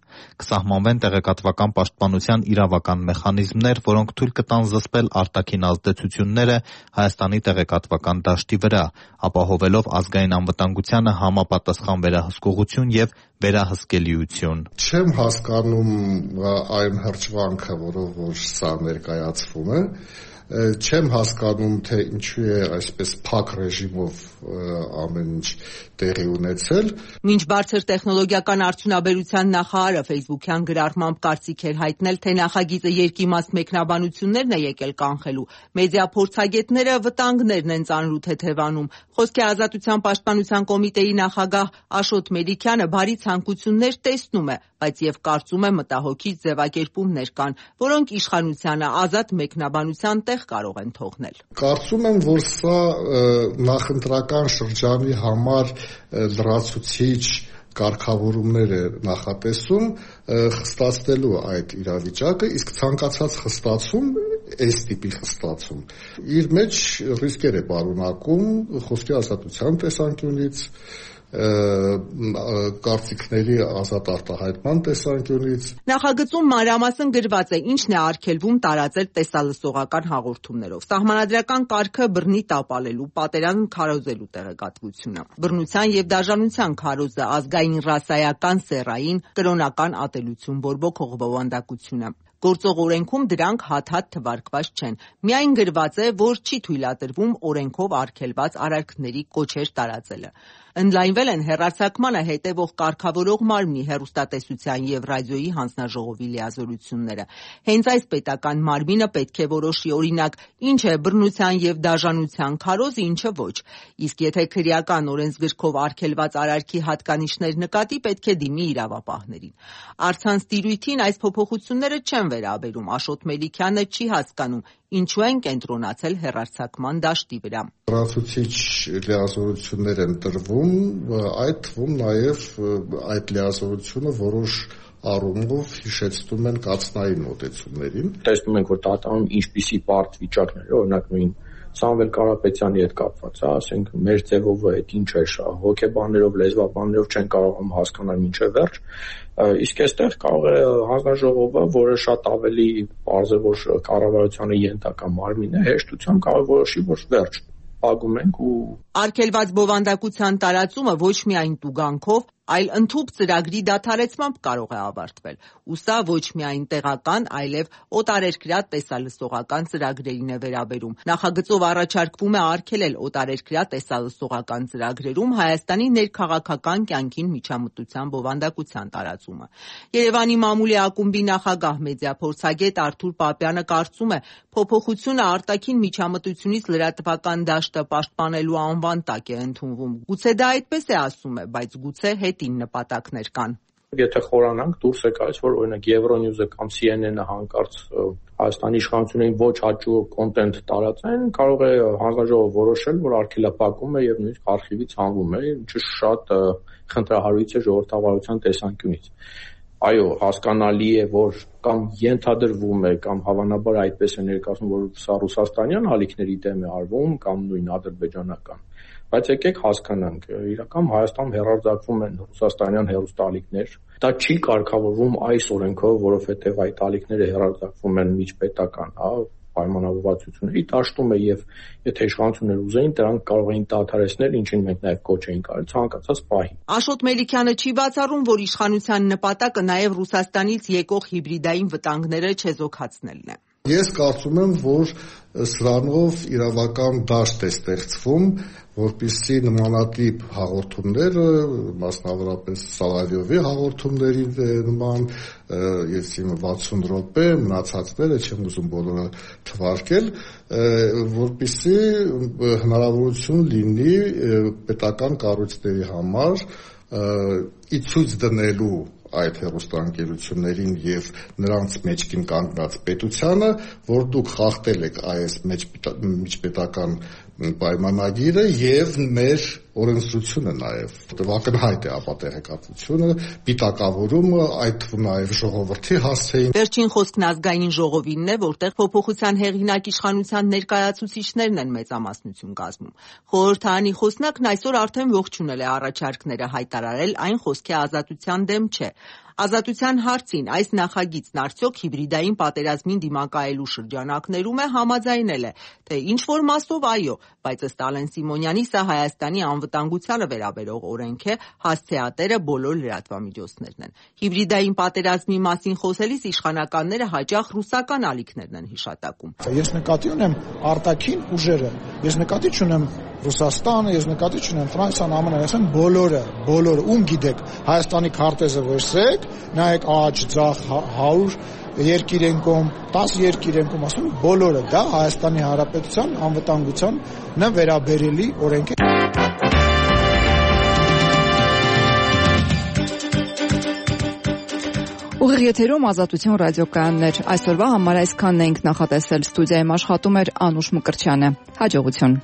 Կսահմանվեն տեղեկատվական պաշտպանության իրավական մեխանիզմներ, որոնք թույլ կտան զսպել արտաքին ազդեցությունները Հայաստանի տեղեկատվական դաշտի վրա, ապահովելով ազգային անվտանգությանը համապատասխան վերահսկողություն եւ վերահսկելիություն։ Չեմ հասկանում այն հրճվանքը, որով որ սա ներկայացվում է, Չեմ հասկանում, թե ինչու է այսպես փակ ռեժիմով ամեն ինչ տեղի ունեցել։ Մինչ բարձր տեխնոլոգիական արդյունաբերության նախարարը Facebook-յան գրառմամբ կարծիք էր հայտնել, թե նախագիծը երկիմաստ մեկնաբանություններն է եկել կանխելու, մեդիա փորձագետները վտանգներն են ծանրու թեթևանում։ Խոսքի ազատության պաշտպանության կոմիտեի նախագահ Աշոտ Մելիքյանը բարի ցանկություններ տեսնում է, բայց եւ կարծում է մտահոգիչ ձևակերպումներ կան, որոնք իշխանությանը ազատ մեկնաբանության տեղ կարող են թողնել։ Կարծում եմ, որ սա նախընտրական շրջանի համար լրացուցիչ կարգավորումներ է նախատեսում խստացնելու այդ իրավիճակը, իսկ ցանկացած խստացում այս տիպի խստացում իր մեջ ռիսկեր է պարունակում խոսքի ազատության տեսանկյունից, կարծիքների ազատ արտահայտման տեսանկյունից։ Նախագծում մանրամասն գրված է ինչն է արգելվում տարածել տեսալսողական հաղորդումներով։ Սահմանադրական կարգը բռնի տապալելու, պատերազմ քարոզելու տեղեկատվությունը, բռնության եւ դաժանության քարոզը, ազգային ռասայական, սեռային, կրոնական ատելություն բորբոքող բովանդակությունը։ Գործող օրենքում դրանք հատ-հատ թվարկված չեն։ Միայն գրված է, որ չի թույլատրվում օրենքով արգելված արարքների կոչեր տարածելը։ Ընդլայնվել են հեռարձակմանը հետևող կարգավորող մարմնի հեռուստատեսության եւ ռադիոյի հանձնաժողովի լիազորությունները։ Հենց այս պետական մարմինը պետք է որոշի, օրինակ, ինչ է բռնության եւ դաժանության քարոզ, ինչը ոչ։ Իսկ եթե քրեական օրենսգրքով արգելված արարքի հատկանիշներ նկատի, պետք է դիմի իրավապահներին։ Առցանց տիրույթին այս փոփոխությունները չեն վերաբերում։ Աշոտ Մելիքյանը չի հասկանում, ինչու են կենտրոնացել հեռարձակման դաշտի վրա։ Լրացուցիչ լիազորություններ են տրվում, այդ թվում նաև այդ լիազորությունը որոշ առումով հիշեցնում են կաթնային մոտեցումներին։ Տեսնում ենք, որ Տաթևանում ինչպիսի բարդ վիճակներ, օրինակ նույն Սամվել Կարապետյանի հետ կապված, ասենք մեր ձևով այդ ինչ է, հոգեբաններով, լեզվաբաններով չեն կարողանում հասկանալ մինչև վերջ, իսկ այստեղ կարող է հանձնաժողովը, որը շատ ավելի պարզ է, որ կառավարությանը ենթակա մարմին է, հեշտությամբ կարող որոշի, որ վերջ ագում ենք ու արգելված բովանդակության տարածումը ոչ միայն տուգանքով, այլ ընդհուպ ծրագրի դադարեցմամբ կարող է ավարտվել։ Ու սա ոչ միայն տեղական, այլև օտարերկրյա տեսալսողական ծրագրերին է վերաբերում։ Նախագծով առաջարկվում է արգելել օտարերկրյա տեսալսողական ծրագրերում Հայաստանի ներքաղաքական կյանքին միջամտության բովանդակության տարածումը։ Երևանի մամուլի ակումբի նախագահ մեդիա փորձագետ Արթուր Պապյանը կարծում է, փոփոխությունը արտաքին միջամտությունից լրատվական դաշտը պաշտպանելու անվան տակ է ընդունվում։ Գուցե դա այդպես է ասում է, բայց գուցե հետին նպատակներ կան։ Եթե խորանանք, դուրս է գալիս, որ օրինակ Euronews-ը կամ CNN-ը հանկարծ Հայաստանի իշխանություններին ոչ հաճույք կոնտենտ տարածեն, կարող է հանձնաժողովը որոշել, որ արգելափակում է եւ նույնիսկ արխիվից հանվում է, ինչը շատ խնդրահարույց է ժողովրդավարության տեսանկյունից։ Այո, հասկանալի է, որ կամ ենթադրվում է, կամ հավանաբար այդպես է ներկայացնում, որ սա ռուսաստանյան ալիքների դեմ է արվում, կամ նույն ադրբեջանական։ Բայց եկեք հասկանանք, իրական Հայաստանում հեռարձակվում են ռուսաստանյան հեռուստաալիքներ։ Դա չի կարգավորվում այս օրենքով, որովհետև այդ ալիքները հեռարձակվում են միջպետական, պայմանավորվածությունների դաշտում է եւ եթե իշխանությունները ուզեին, դրանք կարող էին դադարեցնել, ինչին մենք նաեւ կոչ էինք արել ցանկացած պահի։ Աշոտ Մելիքյանը չի բացառում, որ իշխանության նպատակը նաեւ Ռուսաստանից եկող հիբրիդային վտանգները չեզոքացնելն է։ Ես կարծում եմ, որ սրանով իրավական դաշտ է ստեղծվում, որպեսզի նմանատիպ հաղորդումները, մասնավորապես Սալավյովի հաղորդումների նման, ես 60 րոպե, մնացածները չեմ ուզում բոլորը թվարկել, որպեսզի հնարավորություն լինի պետական կառույցների համար ի ցույց դնելու այդ հեռուստաընկերություններին եւ նրանց մեջքին կանգնած պետությանը, որ դուք խախտել եք այս միջպետական պայմանագիրը եւ մեր օրենսդրությունը նաեւ ակնհայտ է ապատեղեկատվությունը, պիտակավորումը, այդ թվում նաեւ ժողովրդի հասցեին։ Վերջին խոսքն ազգային ժողովինն է, որտեղ փոփոխության հեղինակ իշխանության ներկայացուցիչներն են մեծամասնություն կազմում։ Խորհրդարանի խոսնակն այսօր արդեն ողջունել է առաջարկները, հայտարարել այն խոսքի ազատության դեմ չէ։ Ազատության հարցին այս նախագիծն արդյոք հիբրիդային պատերազմին դիմակայելու շրջանակներում է, համաձայնել է, թե ինչ-որ մասով այո, բայց ըստ Ալեն Սիմոնյանի սա Հայաստանի անվտանգությանը վերաբերող օրենք է, հասցեատերը բոլոր լրատվամիջոցներն են։ Հիբրիդային պատերազմի մասին խոսելիս իշխանականները հաճախ ռուսական ալիքներն են հիշատակում։ Ես նկատի ունեմ արտաքին ուժերը, ես նկատի չունեմ Ռուսաստանը, ես նկատի չունեմ Ֆրանսիան, ԱՄՆ-ն, ասեն բոլորը, ում գիտեք, Հայաստանի քարտեզը որսեք, նայեք աջ, ձախ, 100 երկիր են կողմ, 10 երկիր են կողմ, ասում բոլորը, դա Հայաստանի Հանրապետության անվտանգությանը վերաբերելի օրենք է։ Ուղիղ եթերում Ազատություն ռադիոկայաններ, այսօրվա համար այսքանն էինք նախատեսել, ստուդիայում աշխատում էր Անուշ Մկրտչյանը, հաջողություն։